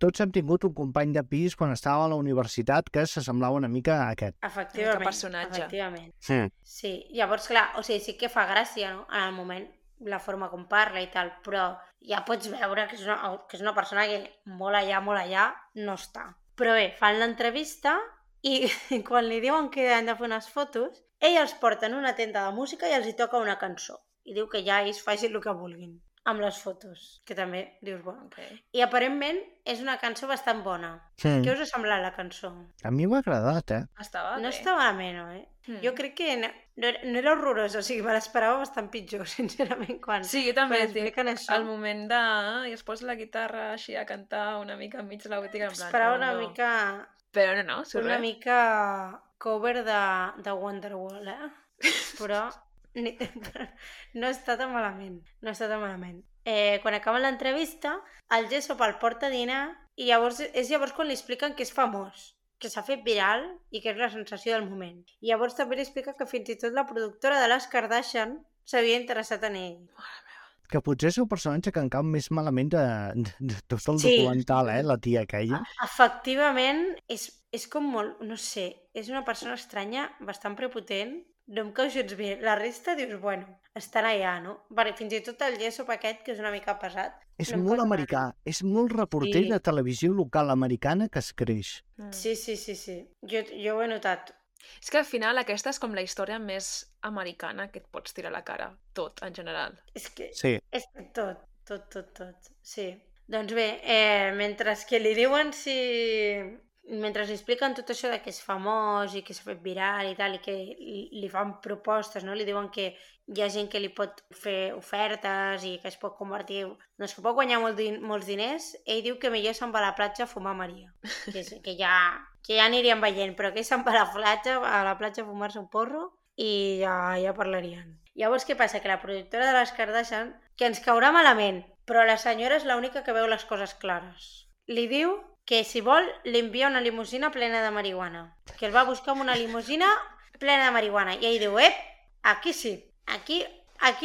tots hem tingut un company de pis quan estava a la universitat que s'assemblava una mica a aquest. Efectivament. personatge. Efectivament. Sí. Sí, llavors, clar, o sigui, sí que fa gràcia, no?, en el moment, la forma com parla i tal, però ja pots veure que és una persona que molt allà no està. Però bé, fan l'entrevista i quan li diuen que han de fer unes fotos, ell els porta en una tenda de música i els hi toca una cançó. I diu que ja ells facin el que vulguin amb les fotos, que també dius, bueno. Okay. I aparentment és una cançó bastant bona. Sí. Què us ha semblat la cançó? A mi m'ha agradat, Estava No bé. està malament, no, Jo crec que no era horrorós, o sigui, me l'esperava bastant pitjor, sincerament, quan Sí, jo també. quan expliquen això. Al moment de... I es posa la guitarra així a cantar una mica enmig de la botiga. En plan, Esperava no, una no. mica... Però no, surt Una res. mica cover de Wonderwall, Però no està tan malament. No està tan malament. Quan acaba l'entrevista, el Jessop el porta a dinar i és llavors quan li expliquen que és famós, que s'ha fet viral i que és la sensació del moment. I llavors també li explica que fins i tot la productora de les Kardashian s'havia interessat en ell. Que potser és el personatge que encau més malament de tot el Sí. documental, la tia aquella. Efectivament, és com molt... No sé, és una persona estranya, bastant prepotent, no em cau gens bé. La resta dius, bueno, estan allà, no? Vale, fins i tot el Jessop aquest, que és una mica pesat. És no em molt cau americà, és molt reporter Sí. de televisió local americana que es creix. Sí. Jo ho he notat. És que al final aquesta és com la història més americana que et pots tirar a la cara. Tot, en general. És que Sí. és tot. Sí. Doncs bé, mentre que li diuen si... Mentre li expliquen tot això de que és famós i que s'ha fet viral i tal, i que li fan propostes, no? Li diuen que hi ha gent que li pot fer ofertes i que es pot convertir... Doncs que pot guanyar molts diners. Ell diu que millor se'n va a la platja a fumar Maria. Que ja anirien veient, però que ell se'n va a la platja a fumar-se un porro i ja parlarien. Llavors, què passa? Que la productora de les Kardashian, que ens caurà malament, però la senyora és l'única que veu les coses clares. Li diu que si vol li envia una limusina plena de marihuana, que el va buscar amb una limusina plena de marihuana, i ell diu, aquí sí, aquí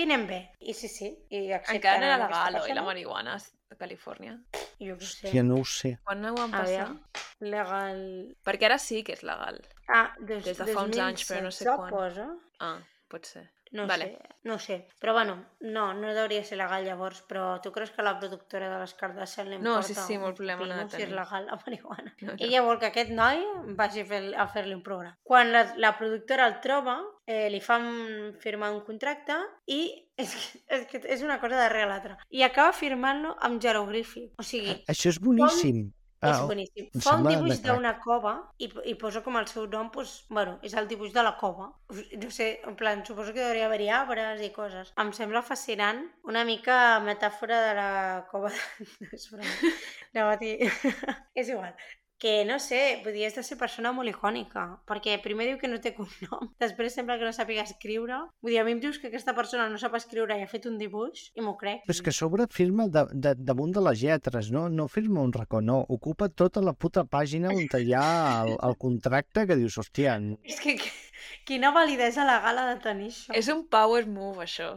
anem bé. I sí, i accepten Encara no era aquesta legal, oi, persona. la marihuana a Califòrnia? Jo què sé. Ja no ho sé. Quan no ho van A passar? veure, legal... Perquè ara sí que és legal. Des de fa uns anys, però no sé 2016 quan. posa. Ah, pot ser. No Vale. sé. Però bueno, no devia ser legal llavors, però tu creus que la productora de les Kardashian li No, importa sí, molt problema no ha de si és tenir. legal la marihuana? No. Ella vol que aquest noi vagi a fer-li un programa. Quan la productora el troba, li fan firmar un contracte i és que és una cosa darrere l'altra. I acaba firmant-lo amb jeroglífic. O sigui, Això és boníssim. és boníssim. em Fa un sembla dibuix de crac. d'una cova i posa com el seu nom, doncs, bueno, és el dibuix de la cova. No sé, en plan, suposo que hauria d'haver-hi arbres i coses. Em sembla fascinant, una mica metàfora de la cova de... No, és broma. No, és igual. Que no sé, vull dir, és de ser persona molt icònica, perquè primer diu que no té cognom, després sembla que no sàpiga escriure. Vull dir, a mi em dius que aquesta persona no sap escriure i ha fet un dibuix, i m'ho crec. Però és que a sobre firma damunt de les lletres, no firma un racó, no. Ocupa tota la puta pàgina on hi ha el contracte que dius, hòstia, És que quina validesa legal ha de tenir això. És un power move, això.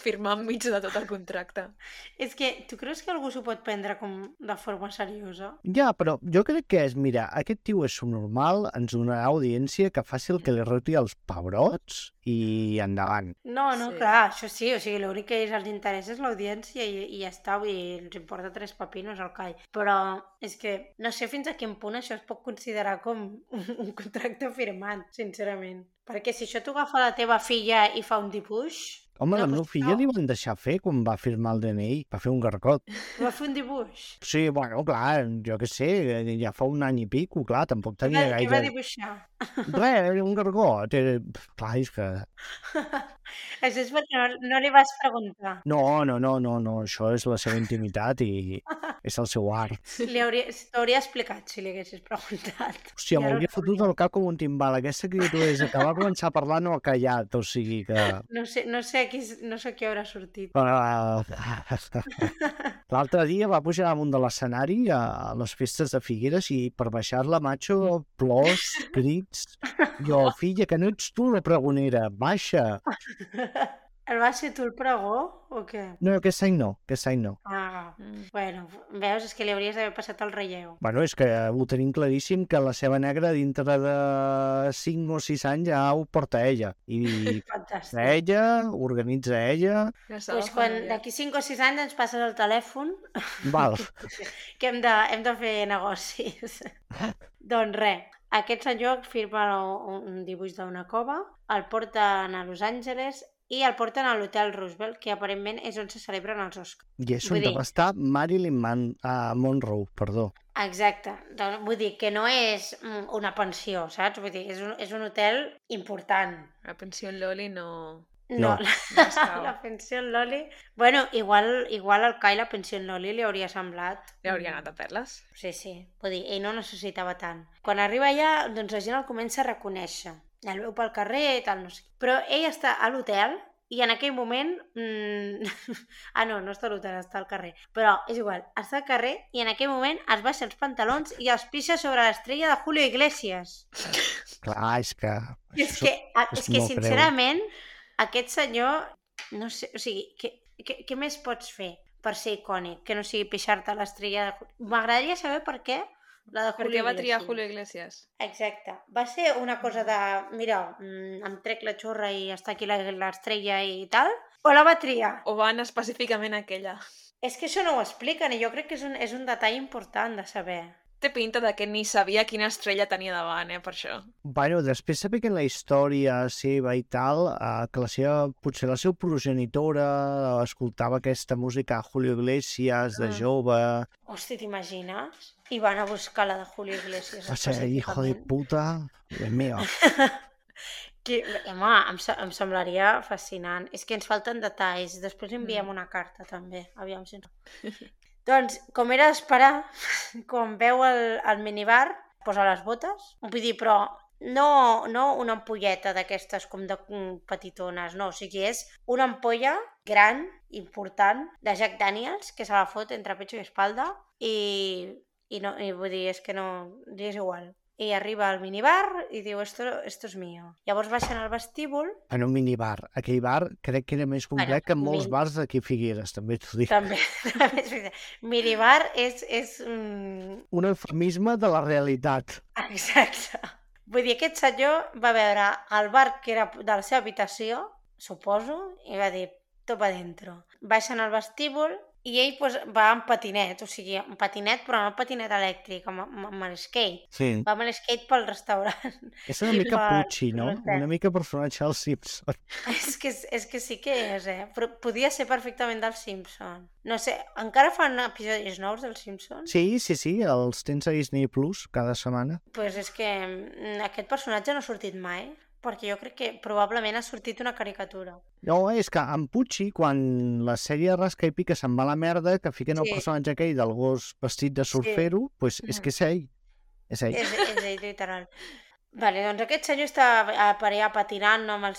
Firmar enmig de tot el contracte. És que tu creus que algú s'ho pot prendre com de forma seriosa? ja, però jo crec que és, mira, aquest tio és subnormal, ens donarà audiència que faci el que li roti els pebrots i endavant. No, Sí. clar, això sí, o sigui, l'únic que els interessa és l'audiència i ja està, vull dir, els importa tres pepinos al call. Però és que no sé fins a quin punt això es pot considerar com un contracte firmat, sincerament. Perquè si això t'ho agafa la teva filla i fa un dibuix... Home, la No, meva doncs filla no. li van deixar fer quan va firmar el DNI, va fer un gargot. Va fer un dibuix. Sí, bueno, clar, jo què sé, ja fa un any i pico, clar, tampoc tenia Què va gaire... dibuixar? Res, un gargot, clar, és que... Això és perquè no li vas preguntar. No, això és la seva intimitat i és el seu art. T'hauria explicat si li haguessis preguntat. Hòstia, I ara m'hauria ho fotut el cap com un timbal. Aquesta criatura és que va començar a parlar no ha callat, o sigui que... No sé a qui haurà sortit. L'altre dia va pujar damunt de l'escenari a les festes de Figueres i per baixar-la, macho, plors, crits... Jo, filla, que no ets tu la pregonera, baixa! El vas ser tu el pregó o què? No, aquest any no, aquest any no. Ah, bueno, veus, és que li hauries d'haver passat el relleu. Bueno, és que ho tenim claríssim que la ceba negra dintre de 5 o 6 anys ja ho porta ella. I Fantàstic. ella, organitza ella... Doncs quan d'aquí 5 o 6 anys ens passes el telèfon Val. que hem de fer negocis. Doncs res, aquest senyor firma un dibuix d'una cova, el porten a Los Angeles i el porten a l'Hotel Roosevelt, que aparentment és on se celebren els Oscars. I és Vull on dir- va estar Marilyn Monroe, perdó. Exacte. Doncs vull dir que no és una pensió, saps? Vull dir, és un hotel important. La pensió en Loli no... No, No. la pensió en Loli... Bueno, igual al Kai la pensió en Loli li hauria semblat... Li hauria anat a perles. Sí. Vull dir, ell no necessitava tant. Quan arriba allà, doncs la gent el comença a reconèixer. El veu pel carrer, tal, no sé. Però ell està a l'hotel i en aquell moment... no està a l'hotel, està al carrer. Però és igual, està al carrer i en aquell moment es baixa els pantalons i els pixa sobre l'estrella de Julio Iglesias. Clar, és que... I és que molt greu. sincerament, aquest senyor, no sé, o sigui, què més pots fer per ser icònic, que no sigui pixar-te l'estrella de... M'agradaria saber per què la de Per Julio què va triar Iglesias. Julio Iglesias? Exacte. Va ser una cosa de, mira, em trec la xorra i està aquí l'estrella i tal, o la va triar? O van específicament a aquella? És que això no ho expliquen i jo crec que és un detall important de saber. Té pinta de que ni sabia quina estrella tenia davant, per això. Bueno, després sabent la història seva i tal, que potser la seva progenitora escoltava aquesta música a Julio Iglesias de jove. Hosti, t'imagines? I van a buscar la de Julio Iglesias. Va ser hijo de puta, Dios mío. Home, em semblaria fascinant. És que ens falten detalls. Després enviem una carta, també. Aviam si no. Doncs, com era d'esperar, quan veu el minibar, posa les botes. Vull dir, però no una ampolleta d'aquestes com de petitones, no. O sigui, és una ampolla gran, important, de Jack Daniels, que se la fot entre pecho i espalda, i vull dir, és que no... és igual. I arriba al minibar i diu, esto es mío. Llavors baixen al vestíbul. En un minibar. Aquell bar crec que era més complet que molts bars d'aquí a Figueres, també t'ho dic. També. Minibar és... Un eufemisme de la realitat. Exacte. Vull dir, aquest senyor va veure el bar que era de la seva habitació, suposo, i va dir, tot va dentro. Baixen al vestíbul i ell va amb patinet, o sigui, un patinet, però no patinet elèctric, amb l'skate. Sí. Va amb l'skate pel restaurant. És una mica Pucci, no? Una mica personatge dels Simpson. És que sí que és, però podia ser perfectament del Simpson. No sé, encara fan episodis nous del Simpson? Sí, els tens a Disney Plus cada setmana. Pues és que aquest personatge no ha sortit mai, perquè jo crec que probablement ha sortit una caricatura. No, és que en Pucci, quan la sèrie Rasca i Pica se'n va a la merda, que fiquen el personatge aquell del gos vestit de surfero, pues és que és ell. És ell. És ell, literal. Vale, doncs aquest senyor està per allà patinant amb el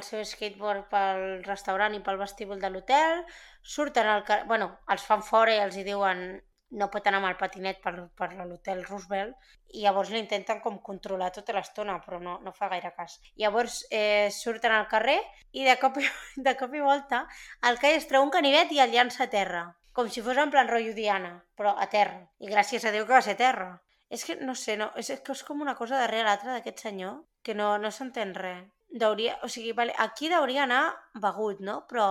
seu skateboard pel restaurant i pel vestíbul de l'hotel, surten els fan fora i els hi diuen no pot anar amb el patinet per l'hotel Roosevelt i llavors l'intenten com controlar tota l'estona, però no fa gaire cas. Llavors surten al carrer i de cop i volta el Kai es treu un canivet i el llança a terra, com si fos en plan rotllo Diana, però a terra. I gràcies a Déu que va ser a terra. És que, no sé, és que és com una cosa darrere l'altra d'aquest senyor que no s'entén res. O sigui, vale, aquí deuria anar begut, no? Però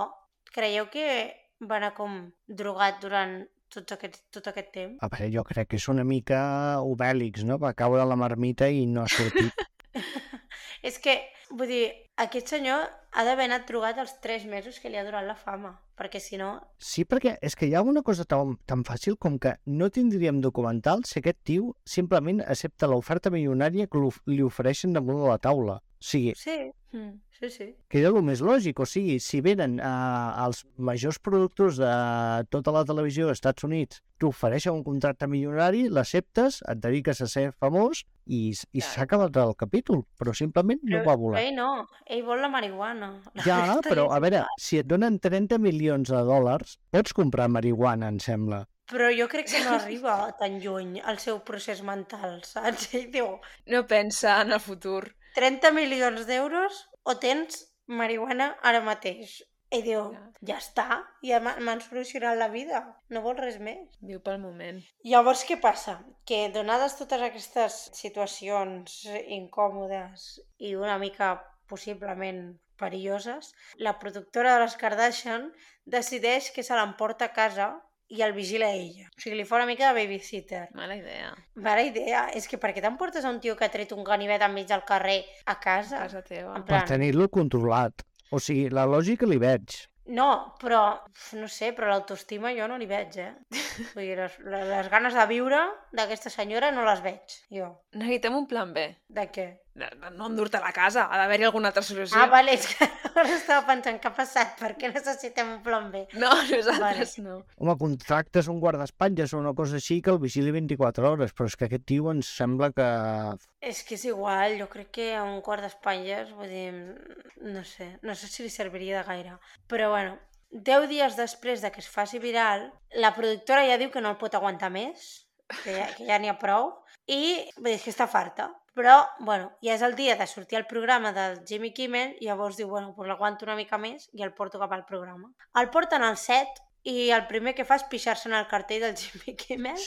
creieu que va anar com drogat durant tot aquest temps? A veure, jo crec que és una mica Obèlix, no? Va caure a la marmita i no ha sortit. És que, vull dir, aquest senyor ha d'haver anat drogat els 3 mesos que li ha durat la fama, perquè si no... Sí, perquè és que hi ha una cosa tan fàcil com que no tindríem documental si aquest tio simplement accepta l'oferta milionària que li ofereixen damunt de la taula. O sigui... Sí. Que era el més lògic, o sigui, si venen els majors productors de tota la televisió dels Estats Units, t'ofereixen un contracte milionari, l'acceptes, et dediques a ser famós i s'ha acabat el capítol, però simplement no va voler. Però ell vol la marihuana. Ja, però a veure, si et donen 30 milions de dòlars, pots comprar marihuana, em sembla. Però jo crec que no arriba tan lluny el seu procés mental, saps? Ell diu... No pensa en el futur. 30 milions d'euros o tens marihuana ara mateix. I diu, ja està, ja m'han solucionat la vida, no vols res més. Viu pel moment. Llavors, què passa? Que donades totes aquestes situacions incòmodes i una mica possiblement perilloses, la productora de les Kardashian decideix que se l'emporta a casa i el vigila ella. O sigui, li fa una mica de babysitter. Mala idea. Mala idea. És que per què t'emportes a un tio que ha tret un ganivet enmig del carrer a casa? Casa teva. En Per plan, tenir-lo controlat. O sigui, la lògica li veig. no, però, no sé, però l'autoestima jo no li veig, Vull dir, les ganes de viure d'aquesta senyora no les veig, jo. Necessitem un plan B. De què? De no endur-te a la casa, ha d'haver-hi alguna altra solució. Ah, vale, és que ara estava pensant què ha passat, per què necessitem un plan B? No, nosaltres no. Home, contractes un guardaespatlles o una cosa així que el vigili 24 hores, però és que aquest tio ens sembla que... És que és igual, jo crec que un guardaespatlles, vull dir, no sé si li serviria de gaire. Però bueno, 10 dies després de que es faci viral, la productora ja diu que no el pot aguantar més, que ja n'hi ha prou, i vull dir, és que està farta. Però, bueno, ja és el dia de sortir al programa del Jimmy Kimmel i llavors diu, bueno, doncs l'aguanto una mica més i el porto cap al programa. El porten al set i el primer que fa és pixar-se en el cartell del Jimmy Kimmel.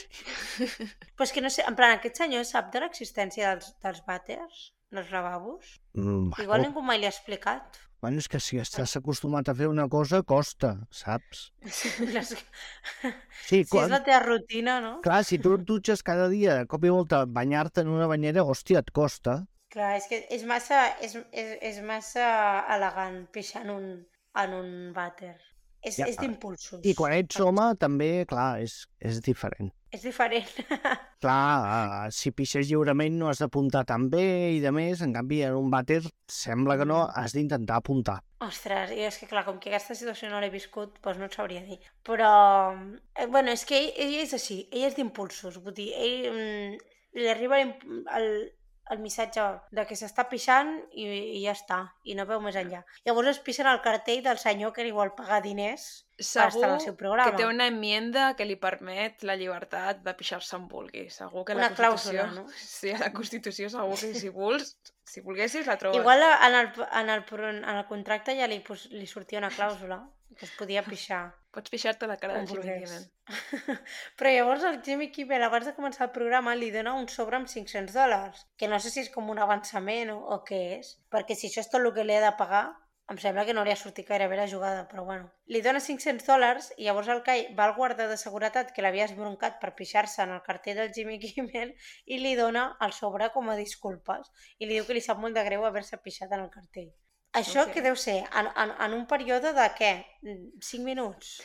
Però és que no sé, en plan, aquest senyor sap de l'existència dels vàters, dels lavabos? Igual ningú mai li ha explicat. Bueno, és que si estàs acostumat a fer una cosa, costa, saps? Sí, Si és la teva rutina, no? Clar, si tu et dutxes cada dia, de cop i volta, banyar-te en una banyera, hòstia, et costa. Clar, és que és massa elegant pixar en un vàter. És d'impulsos. I quan ets home, també, clar, és diferent. És diferent. Clar, si pixes lliurement no has d'apuntar tan bé i de més, en canvi en un vàter sembla que no, has d'intentar apuntar. Ostres, i és que clar, com que aquesta situació no l'he viscut, doncs no et sabria dir. Però, bueno, és que ell és així, ell és d'impulsos, vull dir, li arriba el missatge de que s'està pixant i ja està, i no veu més enllà. Llavors es pixen al cartell del senyor que li vol pagar diners per estar en el seu programa. Que té una enmienda que li permet la llibertat de pixar-se on vulgui. Segur que una clàusula, no? Sí, a la Constitució segur que si volguessis la trobes. Igual en el contracte ja li sortia una clàusula que es podia pixar. Pots pixar-te la cara del Jimmy Kimmel. Però llavors el Jimmy Kimmel, abans de començar el programa, li dona un sobre amb $500, que no sé si és com un avançament o què és, perquè si això és tot el que li ha de pagar, em sembla que no li ha sortit gaire bé la jugada, però bueno. Li dona $500 i llavors el Kai va al guarda de seguretat que l'havia esbroncat per pixar-se en el cartell del Jimmy Kimmel i li dona el sobre com a disculpes i li diu que li sap molt de greu haver-se pixat en el cartell. Això que deu ser en un període de què? 5 minuts?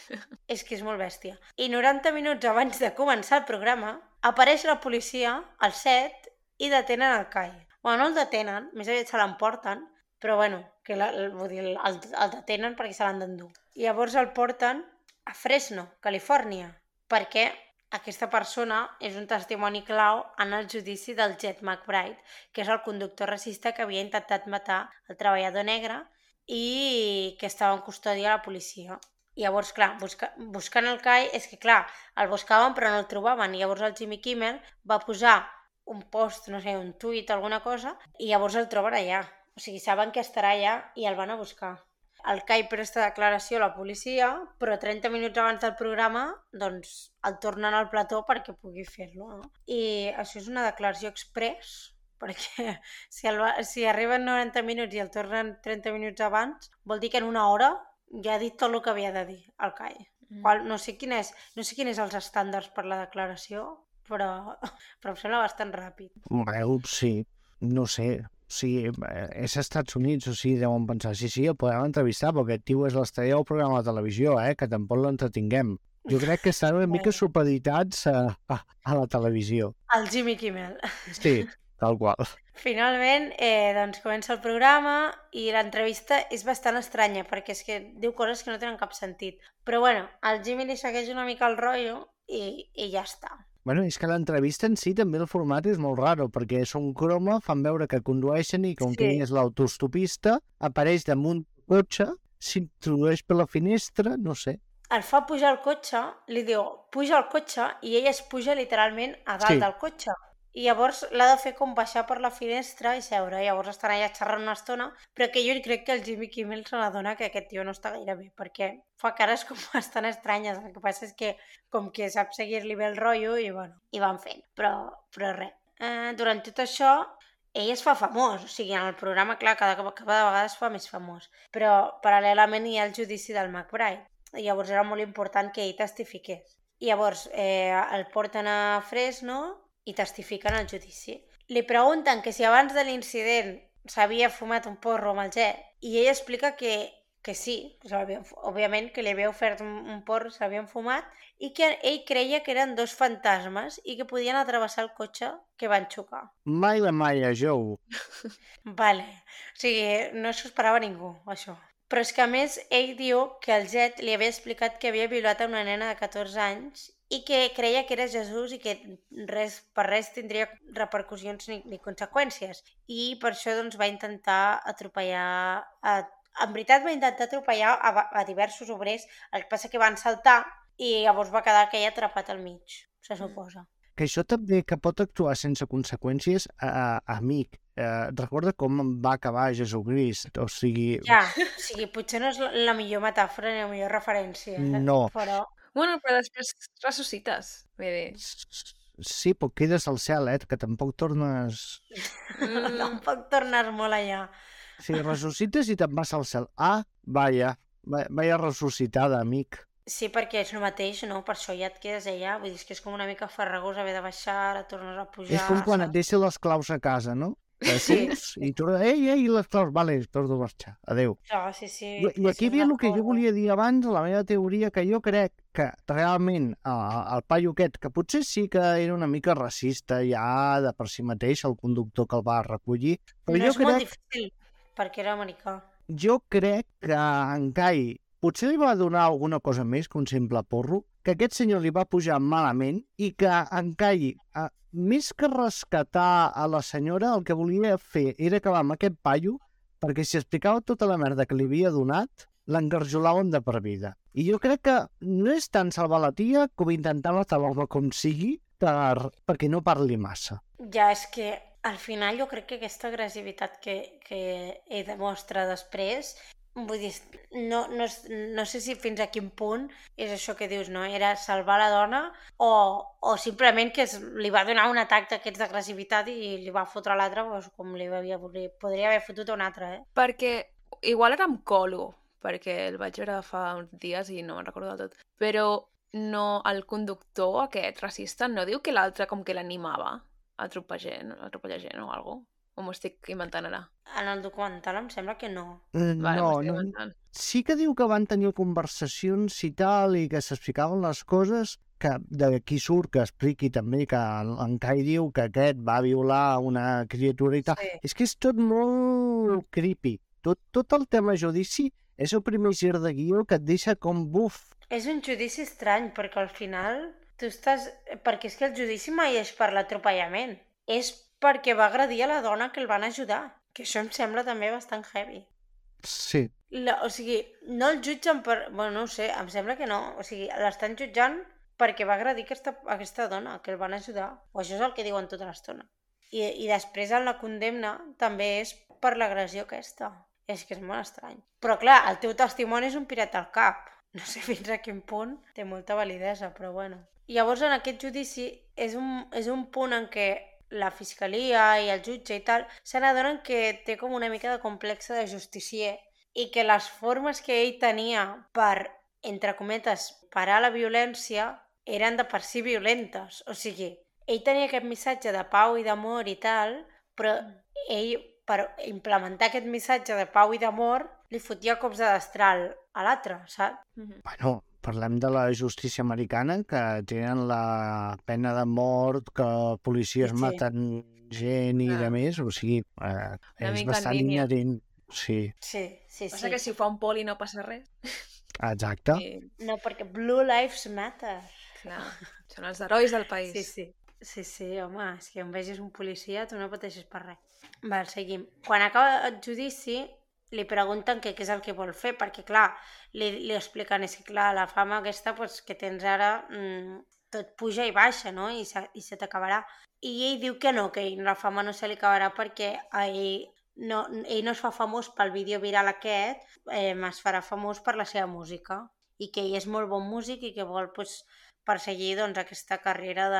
És que és molt bèstia. I 90 minuts abans de començar el programa apareix la policia al set i detenen el Kai. Bueno, no el detenen, més aviat se l'emporten, però bueno, que vull dir, el detenen perquè se l'han d'endur. I llavors el porten a Fresno, Califòrnia, perquè aquesta persona és un testimoni clau en el judici del Jet McBride, que és el conductor racista que havia intentat matar el treballador negre i que estava en custòdia de la policia. I llavors, clar, buscant el Kai, és que clar, el buscaven però no el trobaven. I llavors el Jimmy Kimmel va posar un post, no sé, un tuit, alguna cosa, i llavors el troben allà. O sigui, saben que estarà allà i el van a buscar. El Kai presta declaració a la policia, però 30 minuts abans del programa doncs el tornen al plató perquè pugui fer-lo. No? I això és una declaració express, perquè si arriben 90 minuts i el tornen 30 minuts abans, vol dir que en una hora ja ha dit tot el que havia de dir el Kai. No sé quin és els estàndards per la declaració, però em sembla bastant ràpid. Bueno, sí, no sé. Sí, és als Estats Units, o sigui, deuen pensar, sí, el podem entrevistar, perquè aquest tio és l'estrella del programa de televisió, que tampoc l'entretinguem. Jo crec que estan una mica supeditats a la televisió. El Jimmy Kimmel. Sí, tal qual. Finalment, doncs comença el programa i l'entrevista és bastant estranya, perquè és que diu coses que no tenen cap sentit. Però bueno, al Jimmy li segueix una mica el rotllo i ja està. Bueno, és que l'entrevista en si també el format és molt raro, perquè són croma, fan veure que condueixen i com que és l'autostopista, apareix damunt del cotxe, s'introdueix per la finestra, no sé. El fa pujar al cotxe, li diu, puja al cotxe, i ell es puja literalment a dalt del cotxe. i llavors l'ha de fer com baixar per la finestra i seure, llavors estan allà xerrant una estona, però que jo crec que el Jimmy Kimmel se n'adona que aquest tio no està gaire bé, perquè fa cares com bastant estranyes, el que passa és que com que sap seguir-li bé el rotllo i bueno, i van fent, però res. Durant tot això, ell es fa famós, o sigui, en el programa, clar, cada vegada es fa més famós, però paral·lelament hi ha el judici del McBride, i llavors era molt important que ell testifiqués. I llavors el porten a Fresno i testifiquen al judici. Li pregunten que si abans de l'incident s'havia fumat un porro amb el Jet i ell explica que sí, òbviament que li havia ofert un porro, s'havien fumat i que ell creia que eren dos fantasmes i que podien atravessar el cotxe que van xocar. Mai la Maya, Joe. Vale, o sigui, no s'ho esperava ningú, això. Però és que a més ell diu que el Jet li havia explicat que havia violat a una nena de 14 anys i que creia que era Jesús i que per res tindria repercussions ni conseqüències. I per això doncs, va intentar atropellar... En veritat va intentar atropellar a diversos obrers, el que passa que van saltar i llavors va quedar aquell atrapat al mig, se suposa. Que això també que pot actuar sense conseqüències, amic. Recorda com va acabar Jesucrist, o sigui... Ja, o sigui, potser no és la millor metàfora ni la millor referència. No. Però... Bueno, però després ressuscites. Vull dir... Sí, però quedes al cel, que tampoc tornes... Tampoc tornes molt allà. Sí, ressuscites i te'n vas al cel. Vaya ressuscitada, amic. Sí, perquè és el mateix, no? Per això ja et quedes allà. Vull dir, és que és com una mica farragós haver de baixar, ara tornes a pujar... És com quan et deixen les claus a casa, no? Sí. I tu, les claus, vale, torno a marxar, adeu. Sí. I aquí ve el que jo volia dir abans, la meva teoria, que jo crec que realment el paio aquest, que potser sí que era una mica racista ja de per si mateix, el conductor que el va recollir, però no jo és molt difícil, perquè era americà. Jo crec que en Kai potser li va donar alguna cosa més que un simple porro, que aquest senyor li va pujar malament i que en Kai, més que rescatar a la senyora, el que volia fer era acabar amb aquest paio, perquè si explicava tota la merda que li havia donat, l'engarjolaven de per vida. I jo crec que no és tant salvar la tia com intentar matar-la com sigui perquè no parli massa. Ja, és que al final jo crec que aquesta agressivitat que ell demostra després, vull dir, no sé si fins a quin punt és això que dius, no? Era salvar la dona o simplement que li va donar un atac d'aquests d'agressivitat i li va fotre a l'altre com podria haver fotut a un altre, Perquè igual era amb colo, perquè el vaig veure fa uns dies i no me'n recordo del tot, però no, el conductor aquest racista no diu que l'altre com que l'animava a atropellar gent o alguna cosa? O m'ho estic inventant ara? En el documental em sembla que no. Vale, No. Sí que diu que van tenir conversacions i tal, i que s'explicaven les coses, que d'aquí surt que expliqui també que en Kai diu que aquest va violar una criatura i tal. Sí. És que és tot molt creepy. Tot el tema judici és el primer gir de guió que et deixa com buf. És un judici estrany, perquè al final tu estàs... Perquè és que el judici mai és per l'atropellament. És perquè va agredir a la dona que el van ajudar. Que això em sembla també bastant heavy. Sí. O sigui, no el jutgen per... Bueno, no ho sé, em sembla que no. O sigui, l'estan jutjant perquè va agredir aquesta dona, que el van ajudar. O això és el que diuen tota l'estona. I després en la condemna també és per l'agressió aquesta. És que és molt estrany. Però clar, el teu testimoni és un pirat al cap. No sé fins a quin punt té molta validesa, però bueno. Llavors en aquest judici és un punt en què la fiscalia i el jutge i tal se n'adonen que té com una mica de complexe de justicier i que les formes que ell tenia per, entre cometes, parar la violència eren de per si violentes. O sigui, ell tenia aquest missatge de pau i d'amor i tal, però ell, per implementar aquest missatge de pau i d'amor, li fotia cops de destral a l'altre, saps? Bueno, parlem de la justícia americana, que tenen la pena de mort, que policies maten gent i de més, o sigui, és bastant inherent. Sí. Passa que si ho fa un poli no passa res. Exacte. No, perquè Blue Lives Matter. Clar, són els herois del país. Sí, home, és que on vegis un policia tu no pateixes per res. Val, seguim. Quan acaba el judici li pregunten què és el que vol fer, perquè clar, li expliquen, és que clar, la fama aquesta que tens ara tot puja i baixa, no? I se t'acabarà. I ell diu que no, que la fama no se li acabarà perquè ell no es fa famós pel vídeo viral aquest, es farà famós per la seva música i que ell és molt bon músic i que vol perseguir doncs, aquesta carrera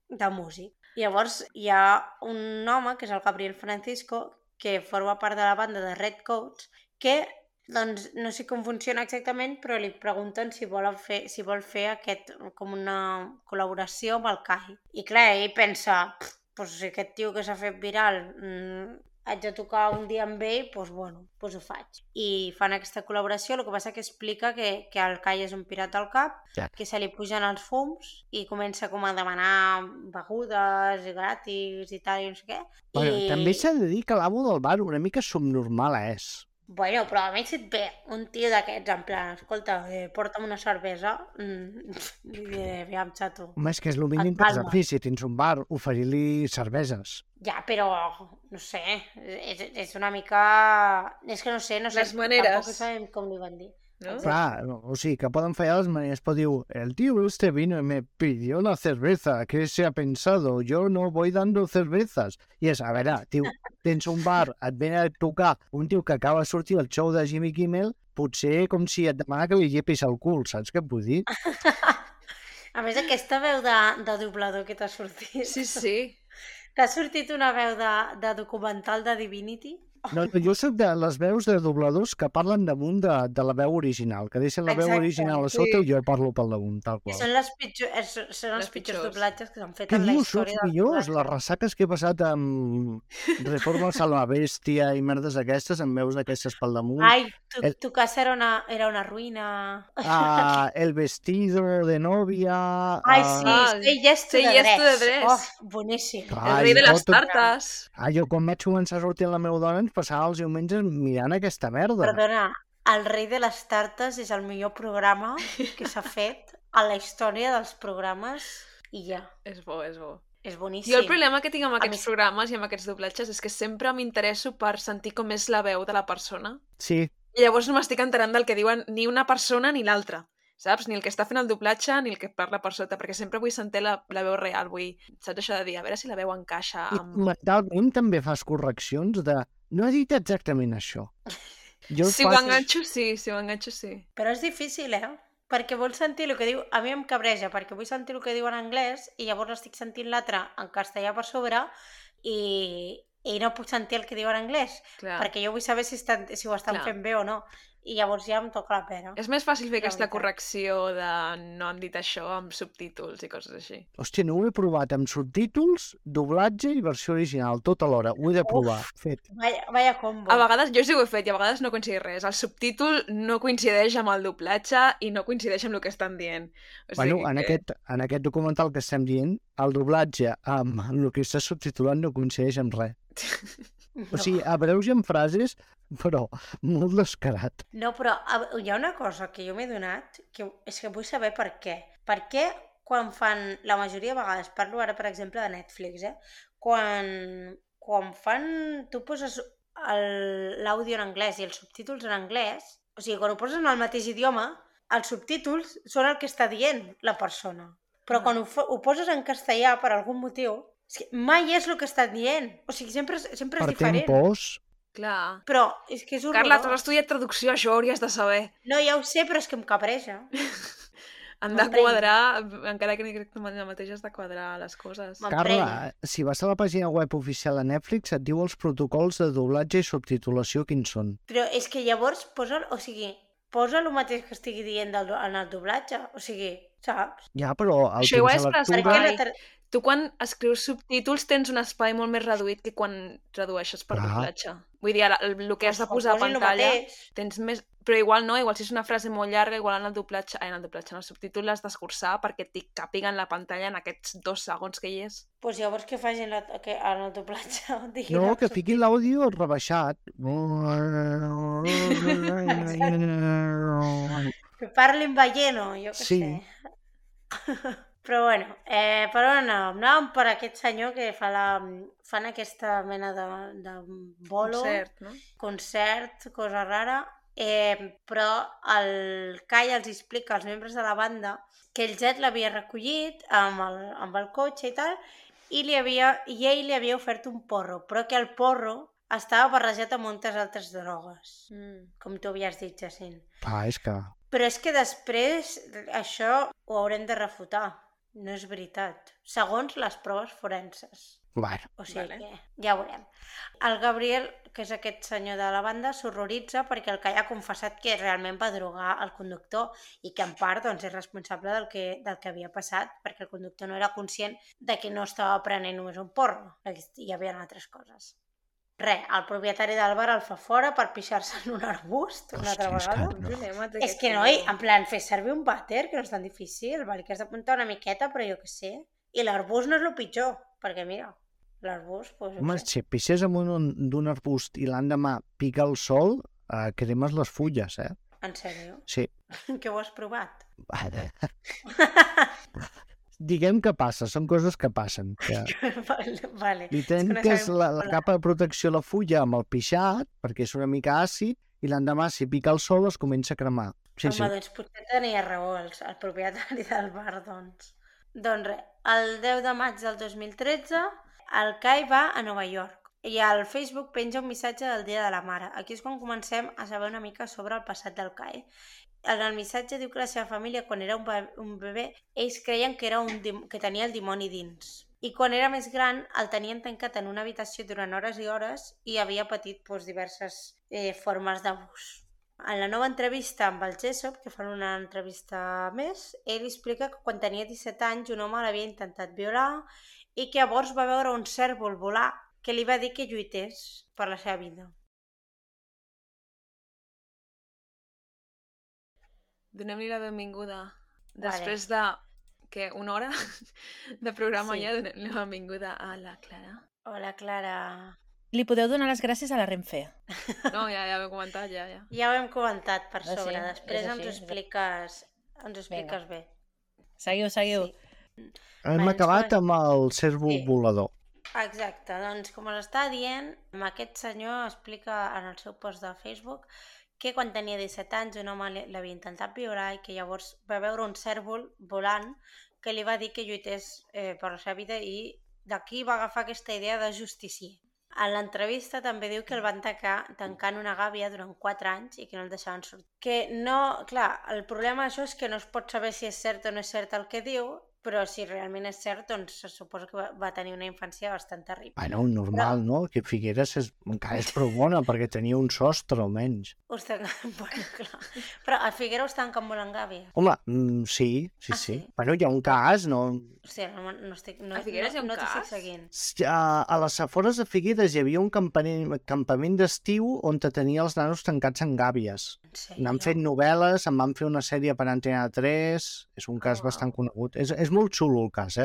de músic. Llavors hi ha un home, que és el Gabriel Francisco, que forma part de la banda de Redcoats, que doncs, no sé com funciona exactament, però li pregunten si vol fer com una col·laboració amb el Kai. I clar, ell pensa, pues, si aquest tio que s'ha fet viral haig de tocar un dia amb ell, doncs bueno, doncs ho faig. I fan aquesta col·laboració, el que passa que explica que el Kai és un pirat al cap, que se li pugen els fums i comença com a demanar begudes gratis i tal, i no sé què. Bueno, també s'ha de dir que l'amo del bar una mica subnormal és. Bueno, però a mi si et ve un tio d'aquests en plan, escolta, porta'm una cervesa, li diré, aviam, xato. Home, és que és el mínim que has de fer, si tens un bar, oferir-li cerveses. Ja, però, no sé, és una mica... És que no sé, les maneres. Tampoc sabem com li van dir. ¿No? Clar, o sigui, que poden fallar les maneres, però diu, el tío este vino y me pidió una cerveza, ¿qué se ha pensado? Yo no voy dando cervezas. I és, a veure, tio, tens un bar, et ven a tocar un tio que acaba de sortir al show de Jimmy Kimmel, potser com si et demana que li llepis el cul, saps què et vull dir? A més, aquesta veu de doblador que t'ha sortit... Sí. T'ha sortit una veu de documental de Divinity? No, jo soc de les veus de dobladors que parlen damunt de la veu original, que deixen la veu original a sota i jo parlo pel damunt, tal qual. Són els pitjors doblatges que s'han fet en la dius, història dels millors? Les ressaques que he passat amb Reforma Salva Bèstia i merdes aquestes, amb veus d'aquestes pel damunt. Ai, tu casa era una ruïna. El vestido de novia... Ai, sí, Say Yes to the Dress. Oh, boníssim. El rei de les tartes. Jo quan vaig començar a sortir amb la meva dona ens passava els diumenges mirant aquesta merda. Perdona, el rei de les tartes és el millor programa que s'ha fet a la història dels programes i ja. És bo. És boníssim. Jo el problema que tinc amb aquests programes i amb aquests doblatges és que sempre m'interesso per sentir com és la veu de la persona. Sí. I llavors no m'estic enterant del que diuen ni una persona ni l'altra. Saps? Ni el que està fent el doblatge ni el que parla per sota, perquè sempre vull sentir la veu real, saps això de dir, a veure si la veu encaixa amb... I mentalment també fas correccions de... No he dit exactament això. Si ho enganxo, sí. Però és difícil, Perquè vols sentir el que diu... A mi em cabreja, perquè vull sentir el que diu en anglès i llavors estic sentint l'altre en castellà per sobre i no puc sentir el que diu en anglès. Clar. Perquè jo vull saber si ho estan fent bé o no. I llavors ja em toca la pera. És més fàcil fer aquesta correcció de no han dit això amb subtítols i coses així. Hòstia, no ho he provat amb subtítols, doblatge i versió original, tot alhora. Ho he de provar. Fet. Vaya combo. A vegades, jo sí ho he fet i a vegades no coincideix res. El subtítol no coincideix amb el doblatge i no coincideix amb el que estan dient. O sigui en aquest documental que estem dient, el doblatge amb el que està subtitulant no coincideix amb res. O sigui, abreugen frases, però molt descarat. No, però hi ha una cosa que jo m'he donat, que és que vull saber per què. Per què quan fan, la majoria de vegades, parlo ara per exemple de Netflix, quan fan, tu poses l'àudio en anglès i els subtítols en anglès, o sigui, quan ho poses en el mateix idioma, els subtítols són el que està dient la persona. Però quan ho poses en castellà per algun motiu, és que mai és el que està dient. O sigui, sempre és diferent. Per tempos. Clar. Però és que és horrorós. Carla, tu has estudiat traducció, això ho hauries de saber. No, ja ho sé, però és que em cabreja. Han de quadrar, encara que ni crec que mateix has de quadrar les coses. Carla, si vas a la pàgina web oficial de Netflix et diu els protocols de doblatge i subtitulació quins són. Però és que llavors posa el mateix que estigui dient en el doblatge. O sigui, saps? Ja, però el això temps de lectura... Tu quan escrius subtítols tens un espai molt més reduït que quan tradueixes per doblatge. Vull dir, el que has de posar a pantalla tens més... Però igual no, igual si és una frase molt llarga, igual en el subtítol l'has d'escurçar perquè t'hi càpiga en la pantalla en aquests 2 segons que hi és. Doncs llavors què facin en el doblatge? No, que fiquin l'àudio rebaixat. Que parlin balleno, jo què sé. Però bueno, per on anàvem? Anàvem per aquest senyor que fan aquesta mena de bolo, concert, cosa rara, però el Kai els explica als membres de la banda que el Jet l'havia recollit amb el cotxe i tal, i ell li havia ofert un porro, però que el porro estava barrejat amb moltes altres drogues, com tu havies dit, Jacint. És que... Però és que després això ho haurem de refutar. No és veritat. Segons les proves forenses. Bueno. O sigui que ja ho veurem. El Gabriel, que és aquest senyor de la banda, s'horroritza perquè el Cai ha confessat que realment va drogar el conductor i que en part doncs, és responsable del que havia passat, perquè el conductor no era conscient de que no estava prenent només un porro, hi havia altres coses. El propietari del bar el fa fora per pixar-se en un arbust una altra vegada. És que noi, en plan, fer servir un vàter, que no és tan difícil, vale, que has d'apuntar una miqueta, però jo què sé. I l'arbust no és el pitjor, perquè mira, l'arbust... Pues, home, si pixes amb d'un arbust i l'endemà pica el sol, cremes les fulles, En sèrio? Sí. Que ho has provat? Diguem que passa, són coses que passen. Que... Vale. Li trenques la capa de protecció a la fulla amb el pixat, perquè és una mica àcid, i l'endemà, si pica el sol, es comença a cremar. Sí. Doncs potser tenia raó el propietari del bar, doncs. Doncs el 10 de maig del 2013, el Cai va a Nova York i al Facebook penja un missatge del Dia de la Mare. Aquí és quan comencem a saber una mica sobre el passat del Cai. En el missatge diu que la seva família, quan era un bebè, ells creien que tenia el dimoni dins. I quan era més gran, el tenien tancat en una habitació durant hores i hores i havia patit diverses formes d'abús. En la nova entrevista amb el Jessop, que fan una entrevista més, ell explica que quan tenia 17 anys un home l'havia intentat violar i que llavors va veure un cérvol volar que li va dir que lluités per la seva vida. Donem-li la benvinguda. Després de una hora de programa ja donem la benvinguda a la Clara. Hola, Clara. Li podeu donar les gràcies a la Renfe. No, ja ho hem comentat, ja. Ja ho hem comentat per sobre. Després ens ho expliques bé. Seguiu. Sí. Hem acabat amb el cérvol volador. Exacte, doncs com us està dient, aquest senyor explica en el seu post de Facebook que quan tenia 17 anys un home l'havia intentat violar i que llavors va veure un cérvol volant que li va dir que lluités per la seva vida i d'aquí va agafar aquesta idea de justicier. En l'entrevista també diu que el van tancar en una gàbia durant 4 anys i que no el deixaven sortir. Que no, clar, el problema d'això és que no es pot saber si és cert o no és cert el que diu, però si realment és cert, doncs se suposa que va tenir una infància bastant terrible. Bueno, normal, no? Que Figueres encara és prou bona, perquè tenia un sostre, almenys. Bueno, clar. Però a Figueres us tanquen molt en gàbia. Home, sí. Bueno, hi ha un cas, no... Hòstia, no estic... A Figueres hi ha un cas? A les afores de Figueres hi havia un campament d'estiu on tenia els nanos tancats en gàbies. N'han fet novel·les, en van fer una sèrie per Antena 3, és un cas bastant conegut. És molt xulo el cas,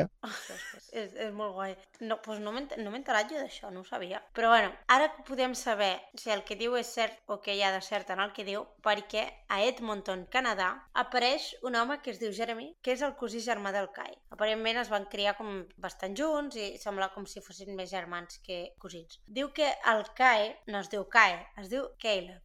És molt guai. No m'he enterat jo d'això, no ho sabia. Però bueno, ara podem saber si el que diu és cert o que hi ha de cert en el que diu, perquè a Edmonton, Canadà, apareix un home que es diu Jeremy, que és el cosí germà del Cai. Aparentment es van criar com bastant junts i sembla com si fossin més germans que cosins. Diu que el Cai no es diu Cai, es diu Caleb.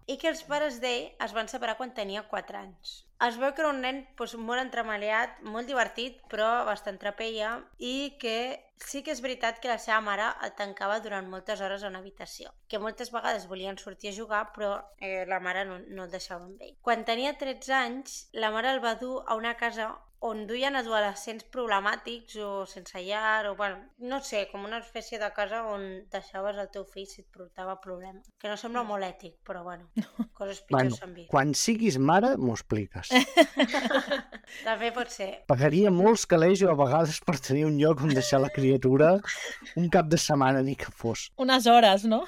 I que els pares d'ell es van separar quan tenia 4 anys. Es veu que era un nen molt entremaliat, molt divertit, però bastant trapeia, i que sí que és veritat que la seva mare el tancava durant moltes hores a una habitació, que moltes vegades volien sortir a jugar, però la mare no el deixava amb ell. Quan tenia 13 anys, la mare el va dur a una casa on duien adolescents problemàtics o sense llar, o bueno, no sé, com una espècie de casa on deixaves el teu fill si et portava problemes. Que no sembla molt ètic, però bueno, coses pitjors s'han vist. Quan siguis mare, m'ho expliques. També pot ser. Pagaria molts calés a vegades per tenir un lloc on deixar la criatura un cap de setmana ni que fos. Unes hores, no?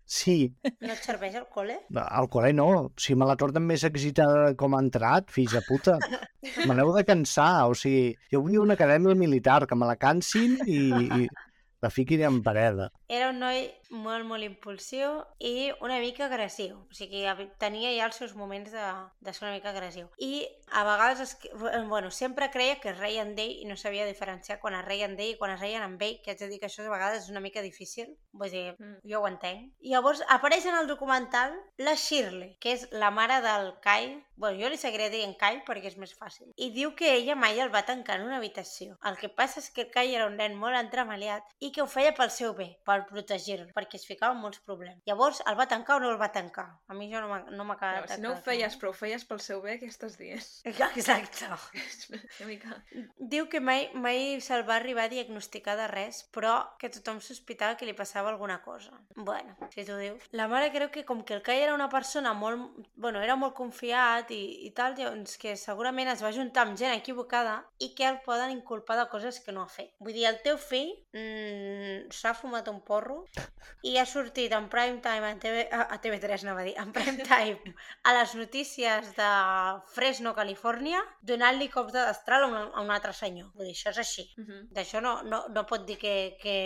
Sí. No et serveix el col·le? El col·le no. Si me la tornen més excitada com ha entrat, fills de puta. Me n'heu de cansar. O sigui, jo vull una acadèmia militar, que me la cansin i la fiquin en pareda. Era un noi molt, molt impulsiu i una mica agressiu. O sigui, tenia ja els seus moments de ser una mica agressiu. I a vegades, sempre creia que es reien d'ell i no sabia diferenciar quan es reien d'ell i quan es reien amb ell, que haig de dir que això a vegades és una mica difícil. Vull dir, jo ho entenc. I llavors apareix en el documental la Shirley, que és la mare del Kai. Bueno, jo li seguiré dient Kai perquè és més fàcil. I diu que ella mai el va tancar en una habitació. El que passa és que el Kai era un nen molt entremaliat i que ho feia pel seu bé, per protegir-lo, perquè es ficava en molts problemes. Llavors, el va tancar o no el va tancar? A mi jo no m'ha quedat... Si no ho feies, però ho feies pel seu bé, què estàs dient? Exacte. Una mica... Diu que mai se'l va arribar a diagnosticar de res, però que tothom sospitava que li passava alguna cosa. Bueno, si tu dius. La mare creu que com que el Kai era una persona molt... Bueno, era molt confiat i tal, doncs que segurament es va juntar amb gent equivocada i que el poden inculpar de coses que no ha fet. Vull dir, el teu fill s'ha fumat un porro i ha sortit en prime time a TV3, anava a dir, en prime time a les notícies de Fresno, Califòrnia, donant-li cops de destral a un altre senyor. Vull dir, això és així. D'això no pot dir que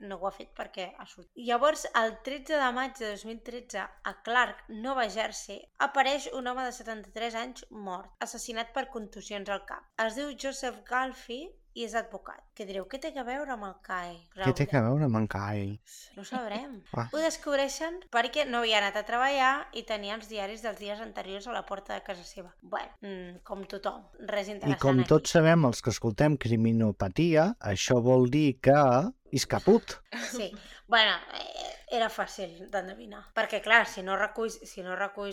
no ho ha fet perquè ha sortit. Llavors, el 13 de maig de 2013, a Clark, Nova Jersey, apareix un home de 73 anys mort, assassinat per contusions al cap. Es diu Joseph Galfi i és advocat. Que direu, què té a veure amb el Kai? Què té a veure amb en Kai? No ho sabrem. Ho descobreixen perquè no havia anat a treballar i tenia els diaris dels dies anteriors a la porta de casa seva. Bueno, com tothom, res interessant. I com tots sabem, els que escoltem Criminopatia, això vol dir que és caput. Sí, bueno, era fàcil d'endevinar. Perquè, clar, si no reculls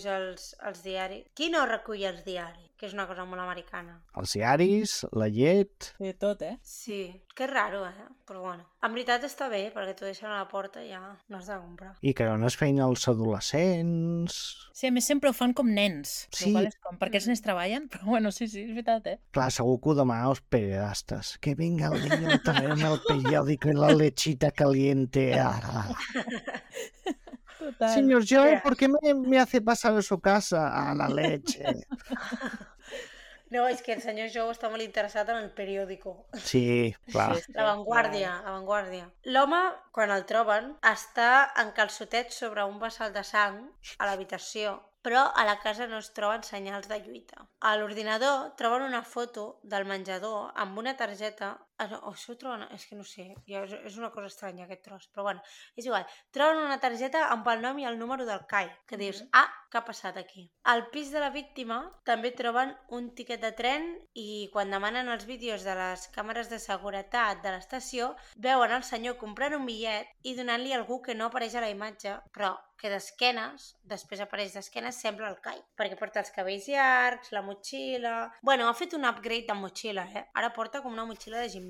els diaris... Qui no recull els diaris? Que és una cosa molt americana. Els diaris, la llet... Sí, tot, Sí, que raro, però bueno. En veritat està bé, perquè t'ho deixen a la porta i ja no has de comprar. I que no es feien els adolescents... Sí, a més sempre ho fan com nens. Sí. Perquè els nens treballen, però bueno, sí, és veritat, Clar, segur que ho demanen els periodistas. Que venga el niño a traerme el periódico y la lechita caliente. Total. Señor Joe, ¿por qué me hace pasar a su casa? A la leche. No, és que el senyor Joe està molt interessat en el periòdico. Sí, clar. La Vanguardia. L'home, quan el troben, està en calçotets sobre un vessal de sang a l'habitació, però a la casa no es troben senyals de lluita. A l'ordinador troben una foto del menjador amb una targeta... Això ho troben... És que no sé, és una cosa estranya aquest tros, però bueno, és igual. Troben una targeta amb el nom i el número del Kai, que dius, què ha passat aquí? Al pis de la víctima també troben un tiquet de tren i quan demanen els vídeos de les càmeres de seguretat de l'estació, veuen el senyor comprant un bitllet i donant-li a algú que no apareix a la imatge, però que d'esquenes, després apareix d'esquenes, sembla el Kai, perquè porta els cabells llargs, la motxilla... Bueno, ha fet un upgrade de motxilla, Ara porta com una motxilla de gimnàs.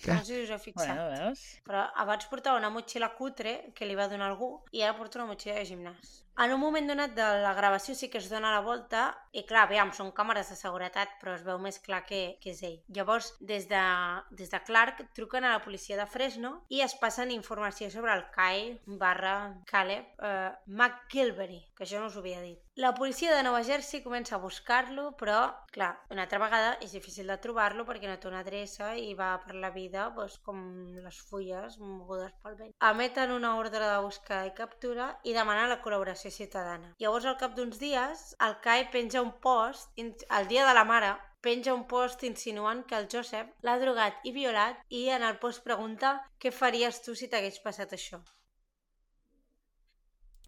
No sé si us heu fixat. Bueno, veus? Però abans portava una motxilla cutre que li va donar algú i ara porta una motxilla de gimnàs. En un moment donat de la gravació sí que es dona la volta i clar, aviam, són càmeres de seguretat però es veu més clar que és ell. Llavors, des de Clark truquen a la policia de Fresno i es passen informació sobre el Kai / Caleb McGilvery, que això no us ho havia dit. La policia de Nova Jersey comença a buscar-lo, però, clar, una altra vegada és difícil de trobar-lo perquè no té una adreça i va per la vida com les fulles mogudes pel vent. Emeten una ordre de busca i captura i demanen la col·laboració ciutadana. Llavors, al cap d'uns dies, el Kai penja un post, el dia de la mare, penja un post insinuant que el Joseph l'ha drogat i violat i en el post pregunta què faries tu si t'hagués passat això.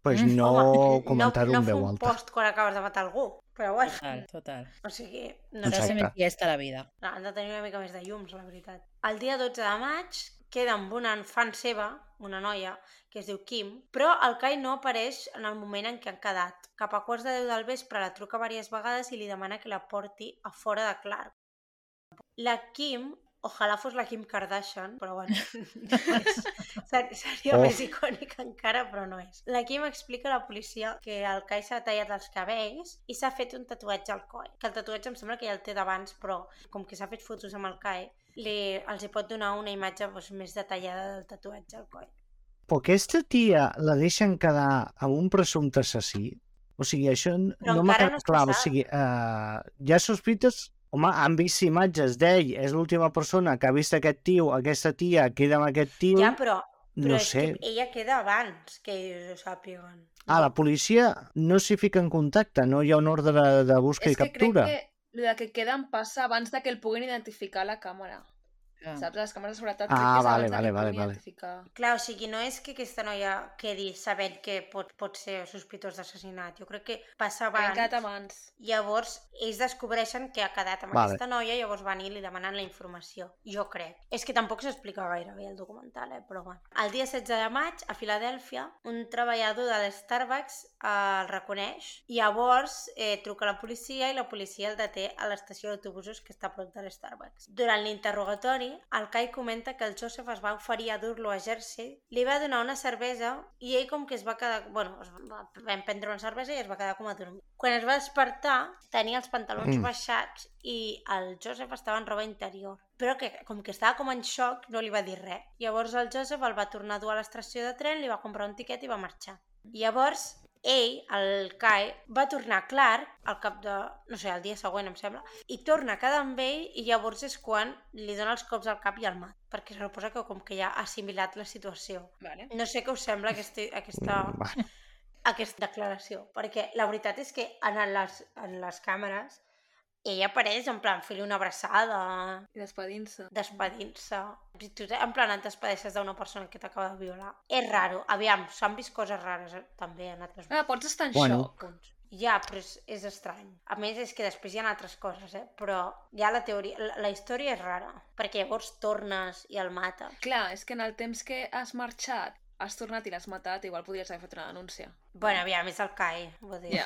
Pues no comentar-ho en veu No fer un post quan acabes de matar algú, però bueno. Total. O sigui, no S'ha de ser més llesta la vida. Han de tenir una mica més de llums, la veritat. El dia 12 de maig queda amb una fan seva, una noia, que es diu Kim, però el Kai no apareix en el moment en què han quedat. Cap a 11:15 del vespre la truca diverses vegades i li demana que la porti a fora de Clark. La Kim... Ojalà fos la Kim Kardashian, però bueno, no és. Seria més icònica encara, però no és. La Kim explica a la policia que el Kai s'ha tallat els cabells i s'ha fet un tatuatge al coll. Que el tatuatge em sembla que ja el té d'abans, però com que s'ha fet fotos amb el Kai, els hi pot donar una imatge més detallada del tatuatge al coll. Però aquesta tia la deixen quedar amb un presumpte assassí? O sigui, això no m'ha quedat clar. O sigui, ja sospites... Home, han vist imatges d'ell, és l'última persona que ha vist aquest tio, aquesta tia queda amb aquest tio... Ja, però Però No és sé. que ella queda abans que ells ho sàpiguen. La policia no s'hi fica en contacte, no hi ha un ordre de busca És i que captura. crec que el que queden passa abans de que el puguin identificar a la càmera. Clar. Saps? Les càmeres de seguretat crec que és vale, abans de que el vale. puguin identificar. Clar, o sigui, no és que aquesta noia quedi sabent que pot ser sospitós d'assassinat. Jo crec que passa Havien abans. quedat abans. Llavors, ells descobreixen que ha quedat amb aquesta noia, llavors van i li demanen la informació. Jo crec. És que tampoc s'explica gaire bé el documental, però bueno. El dia 16 de maig, a Filadèlfia, un treballador de l'Starbucks el reconeix. Llavors, truca a la policia i la policia el deté a l'estació d'autobusos que està a prop de l'Starbucks. Durant l'interrogatori, el Kai comenta que el Joseph es va oferir a dur-lo a Jersey, li va donar una cervesa i ell com que es va quedar... Bueno, vam prendre una cervesa i es va quedar com a dormir. Quan es va despertar, tenia els pantalons baixats i el Joseph estava en roba interior. Però que, com que estava com en xoc, no li va dir res. Llavors el Joseph el va tornar a dur a l'estació de tren, li va comprar un tiquet i va marxar. Llavors, ell, el Kai, va tornar a Clark al cap de, no sé, el dia següent em sembla, i torna a quedar amb ell i llavors és quan li dona els cops al cap i el mat, perquè se suposa que com que ja ha assimilat la situació. Vale. No sé què us sembla aquesta declaració, perquè la veritat és que en les càmeres ella apareix en plan fer-li una abraçada, I despedint-se. Si tu en plan et despedeixes d'una persona que t'acaba de violar. És raro. Aviam, s'han vist coses rares també en altres Pots estar en xoc. punts. Ja, però és estrany. A més, és que després hi ha altres coses, però ja la teoria, la història és rara, perquè llavors tornes i el mates. Clar, és que en el temps que has marxat, has tornat i l'has matat, igual podries haver fet una denúncia. Bueno, aviam, és el Kai, vull dir. Ja.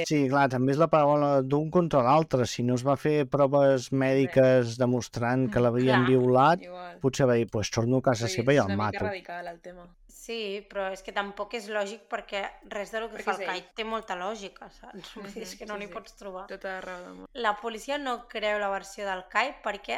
Sí, clar, també és la paraula d'un contra l'altre. Si no es va fer proves mèdiques demostrant que l'havien Clar. violat, Igual. potser va dir, pues torno a casa seva i el És una mica mato. radical el tema. Sí, però és que tampoc és lògic perquè res del que Perquè fa el és Kai ell. té molta lògica, saps? Vull dir, és que no n'hi pots trobar. Tota raó del món. La policia no creu la versió del Kai perquè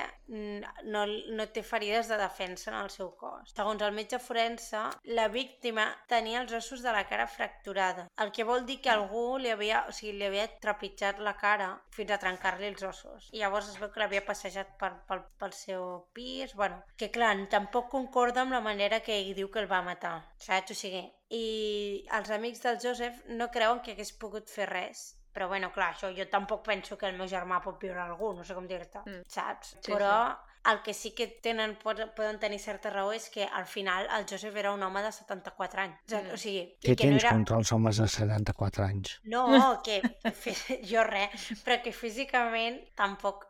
no té ferides de defensa en el seu cos. Segons el metge forense, la víctima tenia els ossos de la cara fracturada, el que vol dir que algú li havia trepitjat la cara fins a trencar-li els ossos. I llavors es veu que l'havia passejat pel seu pis, bueno, que clar, tampoc concorda amb la manera que ell diu que el va matar, saps? O sigui, i els amics del Joseph no creuen que hagués pogut fer res. Però bueno, clar, això jo tampoc penso que el meu germà pot violar algú, no sé com dir-te, saps? Sí, Però el que sí que poden tenir certa raó és que al final el Joseph era un home de 74 anys. O sigui, Què que no tens era... contra els homes de 74 anys? No, que jo res, però que físicament tampoc,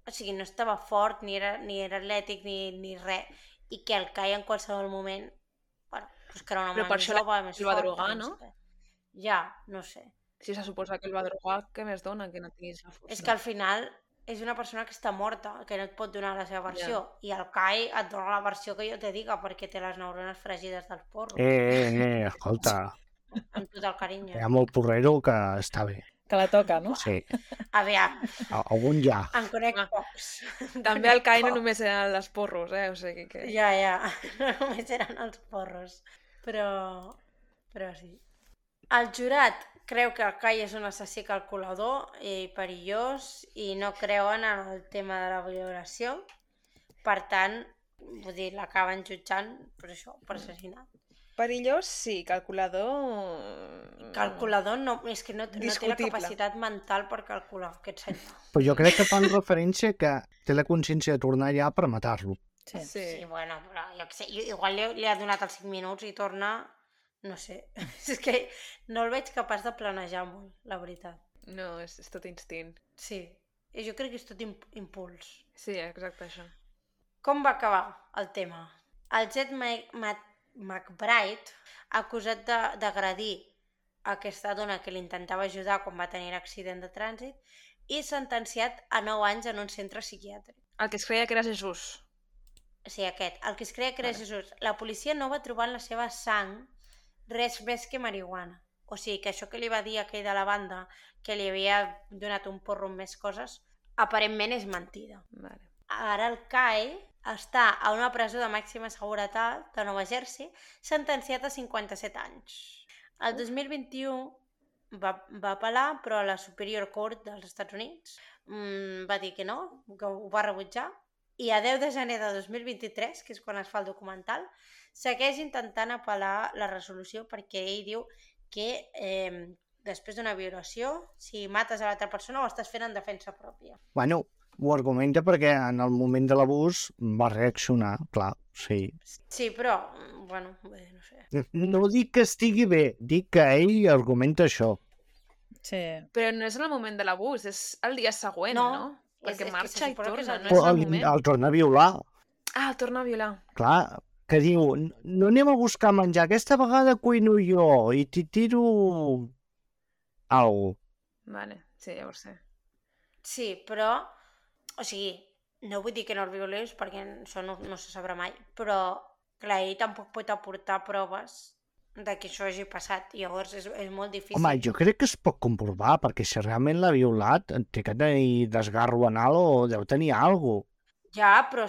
o sigui, no estava fort, ni era atlètic, ni res, i que el Kai en qualsevol moment, bueno, pues que era un home Però per més això jove, més el va fort, drogar, no no? sé. Ja, no sé. Si se suposa que el va drogar, què més dona que no tinguis la força? És que al final és una persona que està morta, que no et pot donar la seva versió, i el Kai et dona la versió que jo te diga, perquè té les neurones fregides del porro. Escolta, Amb tot el carinyo. hi ha molt porrero que està bé. Que la toca, no? Sí, Aviam, algun ja. en conec pocs. També el Kai no només eren les porros, o sigui que... Ja, no només eren els porros, però sí. El jurat creu que el Kai és un assassí calculador i perillós i no creuen en el tema de la violació. Per tant, vull dir, l'acaben jutjant per això, per assassinat. Perillós, sí. Calculador... Calculador no, és que no té la Discutible. capacitat mental per calcular aquest senyor. Però jo crec que fan referència que té la consciència de tornar allà per matar-lo. Sí. Sí, bueno, però jo què sé, igual li ha donat els 5 minuts i torna, no sé. És que no el veig capaç de planejar molt, la veritat. No, és tot instint. Sí, i jo crec que és tot impuls. Sí, exacte, això. Com va acabar el tema? El Jet McBride, acusat d'agredir aquesta dona que l'intentava ajudar quan va tenir l'accident de trànsit, i sentenciat a 9 anys en un centre psiquiàtric. El que es creia que era Jesús. Sí, aquest, el que es creia que era Jesús. La policia no va trobar en la seva sang res més que marihuana. O sigui, que això que li va dir aquell de la banda, que li havia donat un porro amb més coses, aparentment és mentida. Vale. Ara el Kai està a una presó de màxima seguretat de Nova Jersey, sentenciat a 57 anys. El 2021 va apel·lar, però la Superior Court dels Estats Units va dir que no, que ho va rebutjar, i a 10 de gener de 2023, que és quan es fa el documental, segueix intentant apel·lar la resolució perquè ell diu que després d'una violació, si mates a l'altra persona ho estàs fent en defensa pròpia. Bueno, ho argumenta perquè en el moment de l'abús va reaccionar, clar, sí. Sí, però, bueno, no sé. No dic que estigui bé, dic que ell argumenta això. Sí. Però no és en el moment de l'abús, és el dia següent, no? Perquè és que marxa se i suposa que és torna, el no dia és el El, moment. el torna a violar. Ah, el torna a violar. Clar, que diu, no anem a buscar menjar, aquesta vegada cuino jo i t'hi tiro algo. Vale, sí, ja ho sé. Sí, però, o sigui, no vull dir que no el violés perquè això no se sabrà mai, però clar, ell tampoc pot aportar proves de que això hagi passat i llavors és molt difícil. Home, jo crec que es pot comprovar, perquè si realment l'ha violat, té que tenir desgarro anal o deu tenir alguna cosa. Ja, però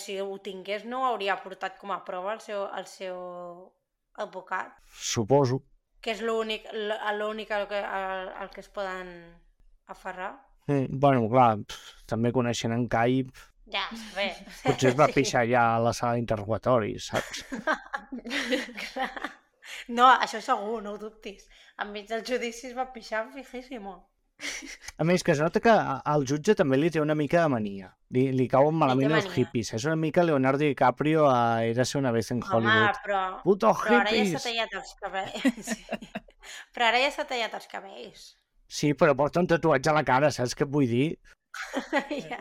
si ho tingués no ho hauria portat com a prova el seu advocat, Suposo. que és l'únic al que es poden aferrar. Bueno, clar, també coneixent en Kai, Ja, bé. potser es va Sí. pixar ja a la sala d'interrogatoris, saps? No, això segur, no ho dubtis. Enmig del judici es va pixar fijíssimo. A més, que es nota que al jutge també li té una mica de mania. Li cauen malament els mania. hippies. És una mica Leonardo DiCaprio a Érase una vez en Hollywood. Home, però Puto ara ja hippies! s'ha tallat els cabells. Sí. Però ara ja s'ha tallat els cabells. Sí, però porta un tatuatge a la cara, saps què et vull dir? Ja.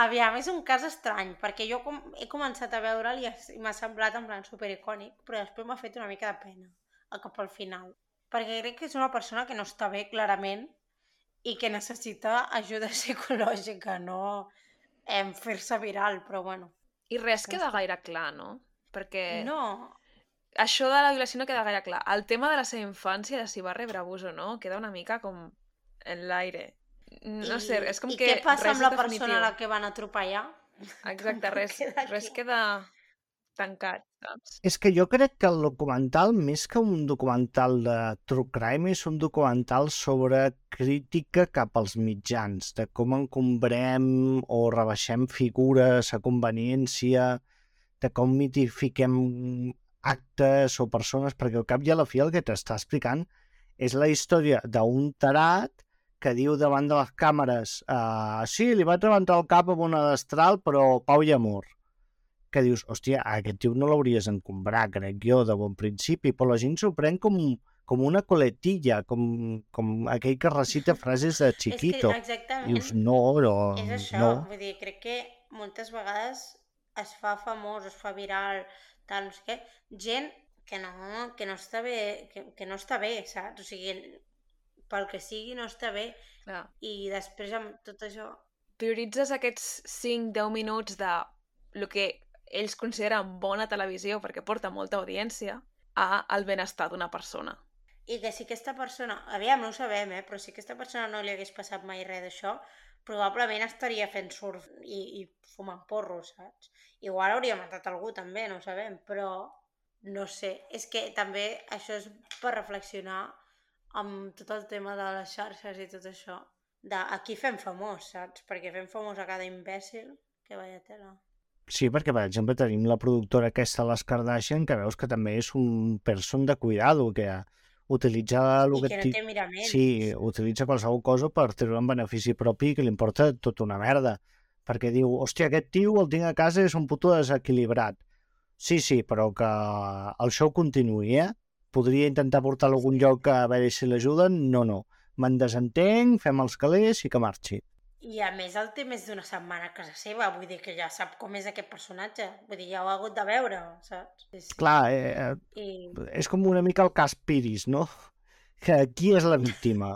Aviam, és un cas estrany, perquè jo he començat a veure'l i m'ha semblat en plan supericònic, però després m'ha fet una mica de pena cap al final. Perquè crec que és una persona que no està bé, clarament, i que necessita ajuda psicològica, no fer-se viral, però bueno. I res queda gaire clar, no? Perquè No, això de la violació no queda gaire clar. El tema de la seva infància, de si va rebre abús o no, queda una mica com en l'aire. No sé, és com I que què passa res amb la és definitiu. persona a la que van atropellar? Exacte, res queda tancat, saps? És que jo crec que el documental, més que un documental de true crime, és un documental sobre crítica cap als mitjans, de com encombrem o rebaixem figures a conveniència, de com mitifiquem actes o persones, perquè al cap i a la fi el que t'està explicant és la història d'un tarat que diu davant de les càmeres sí, li vaig rebentar el cap amb una destral, però pau i amor. Que dius, hòstia, aquest tio no l'hauries d'encombrar, crec jo, de bon principi, però la gent s'ho pren com una coletilla, com aquell que recita frases de Chiquito. És que, exactament, Dius, no, és això. no. Vull dir, crec que moltes vegades es fa famós, es fa viral, tal, no sé què, gent que no està bé, que no està bé, saps? O sigui, pel que sigui no està bé. Clar. I després amb tot això... Prioritzes aquests 5-10 minuts de el que ells consideren bona televisió perquè porta molta audiència al benestar d'una persona. I que si aquesta persona... Aviam, no ho sabem, però si aquesta persona no li hagués passat mai res d'això, probablement estaria fent surf i fumant porros, saps? Igual hauria matat algú també, no ho sabem, però no sé. És que també això és per reflexionar amb tot el tema de les xarxes i tot això. A qui fem famós, saps? Perquè fem famós a cada imbècil, que vaya tela. Sí, perquè, per exemple, tenim la productora aquesta, les Kardashian, que veus que també és un person de cuidado, que utilitza... I que no té miraments. Sí, utilitza qualsevol cosa per treure un benefici propi que li importa tota una merda. Perquè diu, hòstia, aquest tio el tinc a casa i és un puto desequilibrat. Sí, però que el show continuï, Podria intentar portar-lo a algun lloc a veure si l'ajuden? No. Me'n desentenc, fem els calés i que marxi. I a més el té més d'una setmana a casa seva, vull dir que ja sap com és aquest personatge, vull dir, ja ho ha hagut de veure, saps? Sí. Clar, és com una mica el cas Piris, no? Que qui és la víctima?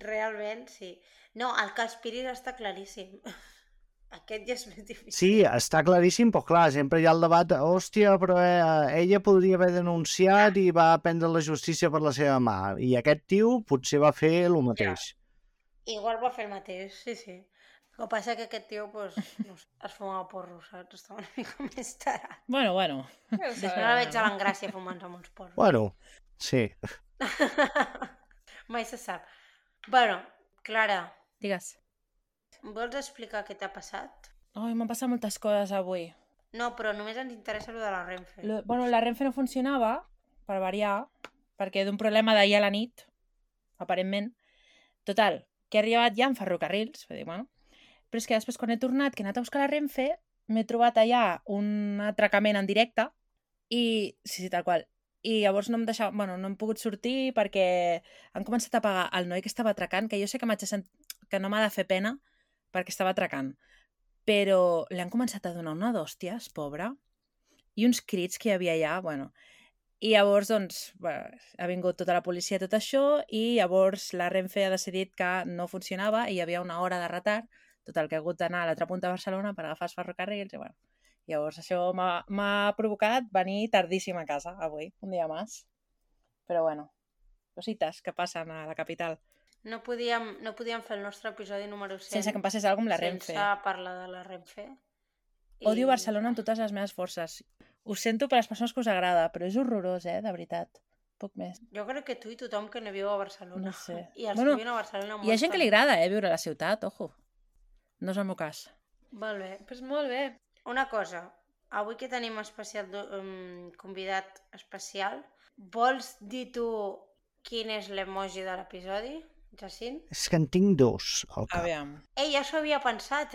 Realment, sí. No, el cas Piris està claríssim. Aquest ja és més difícil. Sí, està claríssim, però clar, sempre hi ha el debat, hòstia, però ella podria haver denunciat i va prendre la justícia per la seva mà, i aquest tio potser va fer el mateix. Igual va fer el mateix, sí. El que passa que aquest tio, pues, no sé, es fumava porros, saps? Estava una mica més tarat. Bueno. Després no la veig a l'Engràcia fumant amb uns porros. Bueno, sí. Mai se sap. Bueno, Clara, Digues. vols explicar què t'ha passat? Ai, m'han passat moltes coses avui. No, però només ens interessa lo de la Renfe. Bueno, la Renfe no funcionava, per variar, perquè d'un problema d'ahir a la nit, aparentment. Total, que he arribat ja en ferrocarrils, vull dir, bueno. Però és que després, quan he tornat, que he anat a buscar la Renfe, m'he trobat allà un atracament en directe i... Sí, tal qual. I llavors no em deixava... Bueno, no hem pogut sortir perquè han començat a pagar el noi que estava atracant, que jo sé que que no m'ha de fer pena perquè estava atracant, però li han començat a donar una d'hòsties, pobra, i uns crits que hi havia allà, bueno... I llavors, doncs, bueno, ha vingut tota la policia i tot això, i llavors la Renfe ha decidit que no funcionava i hi havia una hora de retard, total, que he hagut d'anar a l'altra punta de Barcelona per agafar els ferrocarrils, i bueno, llavors això m'ha provocat venir tardíssim a casa avui, un dia més. Però bueno, cosites que passen a la capital. No podíem fer el nostre episodi número 100 Sense que em passés alguna cosa amb la Renfe. sense parlar de la Renfe. Odio Barcelona amb totes les meves forces. Ho sento per les persones que us agrada, però és horrorós, de veritat. Poc més. Jo crec que tu i tothom que no viu a Barcelona. No sé. I els Bueno, que viuen a Barcelona... Hi ha gent que li agrada, viure a la ciutat, ojo. No és el meu cas. Molt bé. Pues molt bé. Una cosa, avui que tenim convidat especial, vols dir tu quin és l'emoji de l'episodi, Jacint? És que en tinc dos al cap. Aviam. Ei, ja s'ho havia pensat,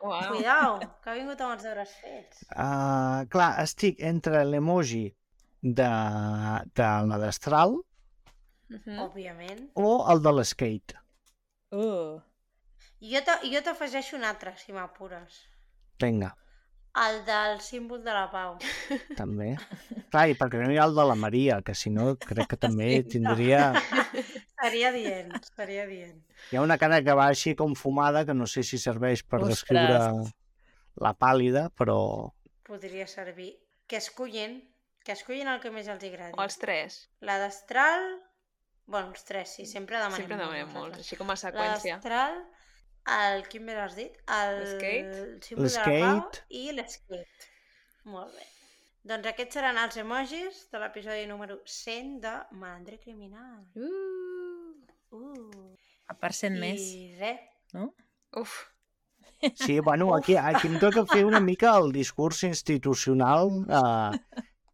Uau. Cuidao, que ha vingut amb els deures fets. Clar, estic entre l'emoji de la destral Òbviament. o el de l'skate. Jo t'afegeixo un altre, si m'apures. Vinga, El del símbol de la pau. també. Clar, i perquè no hi ha el de la Maria, que si no crec que també tindria... Seria dient. Hi ha una cara que va així com fumada, que no sé si serveix per Ostres. descriure la pàl·lida, però... Podria servir. Que escullin el que més els agradi. O els tres. La destral... Bueno, els tres, sí, sempre demanem Sempre demanem molts, nosaltres. així com a La seqüència. destral, quin més has dit? L'skate. El símbol de la pau L'skate. i l'skate. Molt bé. Doncs aquests seran els emojis de l'episodi número 100 de Malandre Criminal. Per cent més, I res. no? Uf. Sí, bueno, aquí em toca fer una mica el discurs institucional,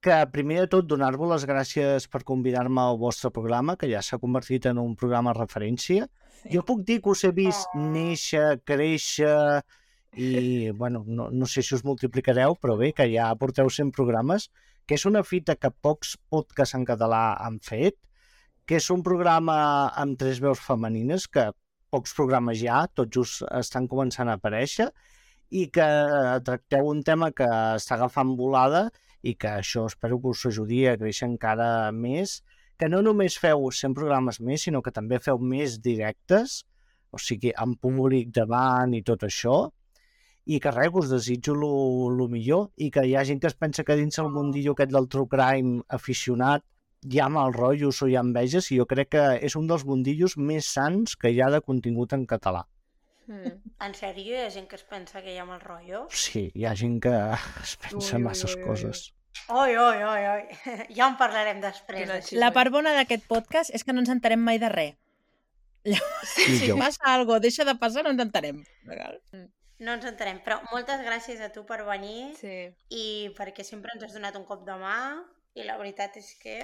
que primer de tot donar-vos les gràcies per convidar-me al vostre programa, que ja s'ha convertit en un programa de referència. Jo puc dir que us he vist néixer, créixer i, bueno, no sé si us multiplicareu, però bé, que ja porteu 100 programes, que és una fita que pocs podcasts en català han fet, que és un programa amb 3 veus femenines, que pocs programes ja, tots just estan començant a aparèixer, i que tracteu un tema que està agafant volada i que això espero que us ajudi a créixer encara més, que no només feu 100 programes més, sinó que també feu més directes, o sigui, amb públic davant i tot això, i que res, us desitjo lo millor, i que hi ha gent que es pensa que dins el mundillo aquest del true crime aficionat hi ha mal rotllos o hi ha enveges, i jo crec que és un dels mundillos més sants que hi ha de contingut en català. En sèrio, hi ha gent que es pensa que hi ha mal rotllo? Sí, hi ha gent que es pensa masses coses. Oi. Ja en parlarem després. Quina d'això. xisme. La part bona d'aquest podcast és que no ens enterem mai de res. Si Millor. passa alguna cosa, deixa de passar, no ens enterem. No ens entenem, però moltes gràcies a tu per venir Sí. i perquè sempre ens has donat un cop de mà i la veritat és que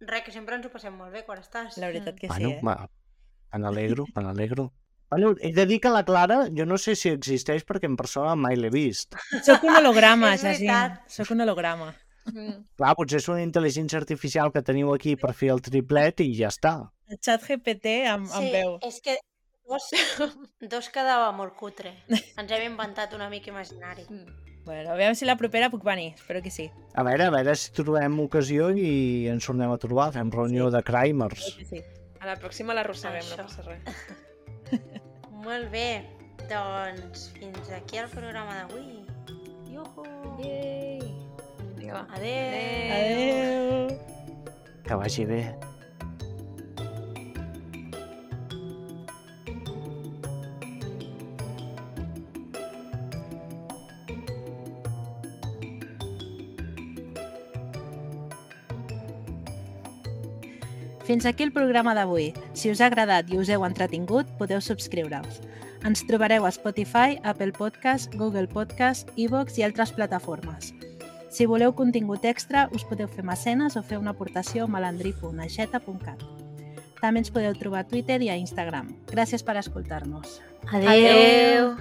res, que sempre ens ho passem molt bé quan estàs. La veritat que Bueno, sí, me n'alegro. Bueno, he de dir que la Clara, jo no sé si existeix perquè en persona mai l'he vist. Soc un holograma, És Jacint. veritat. Soc un holograma. Clar, potser és una intel·ligència artificial que teniu aquí per fer el triplet i ja està. El xat GPT amb veu. És que dos quedava molt cutre. Ens hem inventat un amic imaginari. Bueno, aviam si la propera puc venir. Espero que sí. A veure si trobem ocasió i ens tornem a trobar, fem reunió de crimers. Sí. A la pròxima l'arrosseguem, Això. no passa res. Molt bé, doncs fins aquí el programa d'avui. Iuhu! Yay! Vinga, va. Adéu! Adéu. Que vagi bé. Fins aquí el programa d'avui. Si us ha agradat i us heu entretingut, podeu subscriure-us. Ens trobareu a Spotify, Apple Podcast, Google Podcast, iVoox i altres plataformes. Si voleu contingut extra, us podeu fer mecenes o fer una aportació a malandri.aixeta.cat. També ens podeu trobar a Twitter i a Instagram. Gràcies per escoltar-nos. Adéu!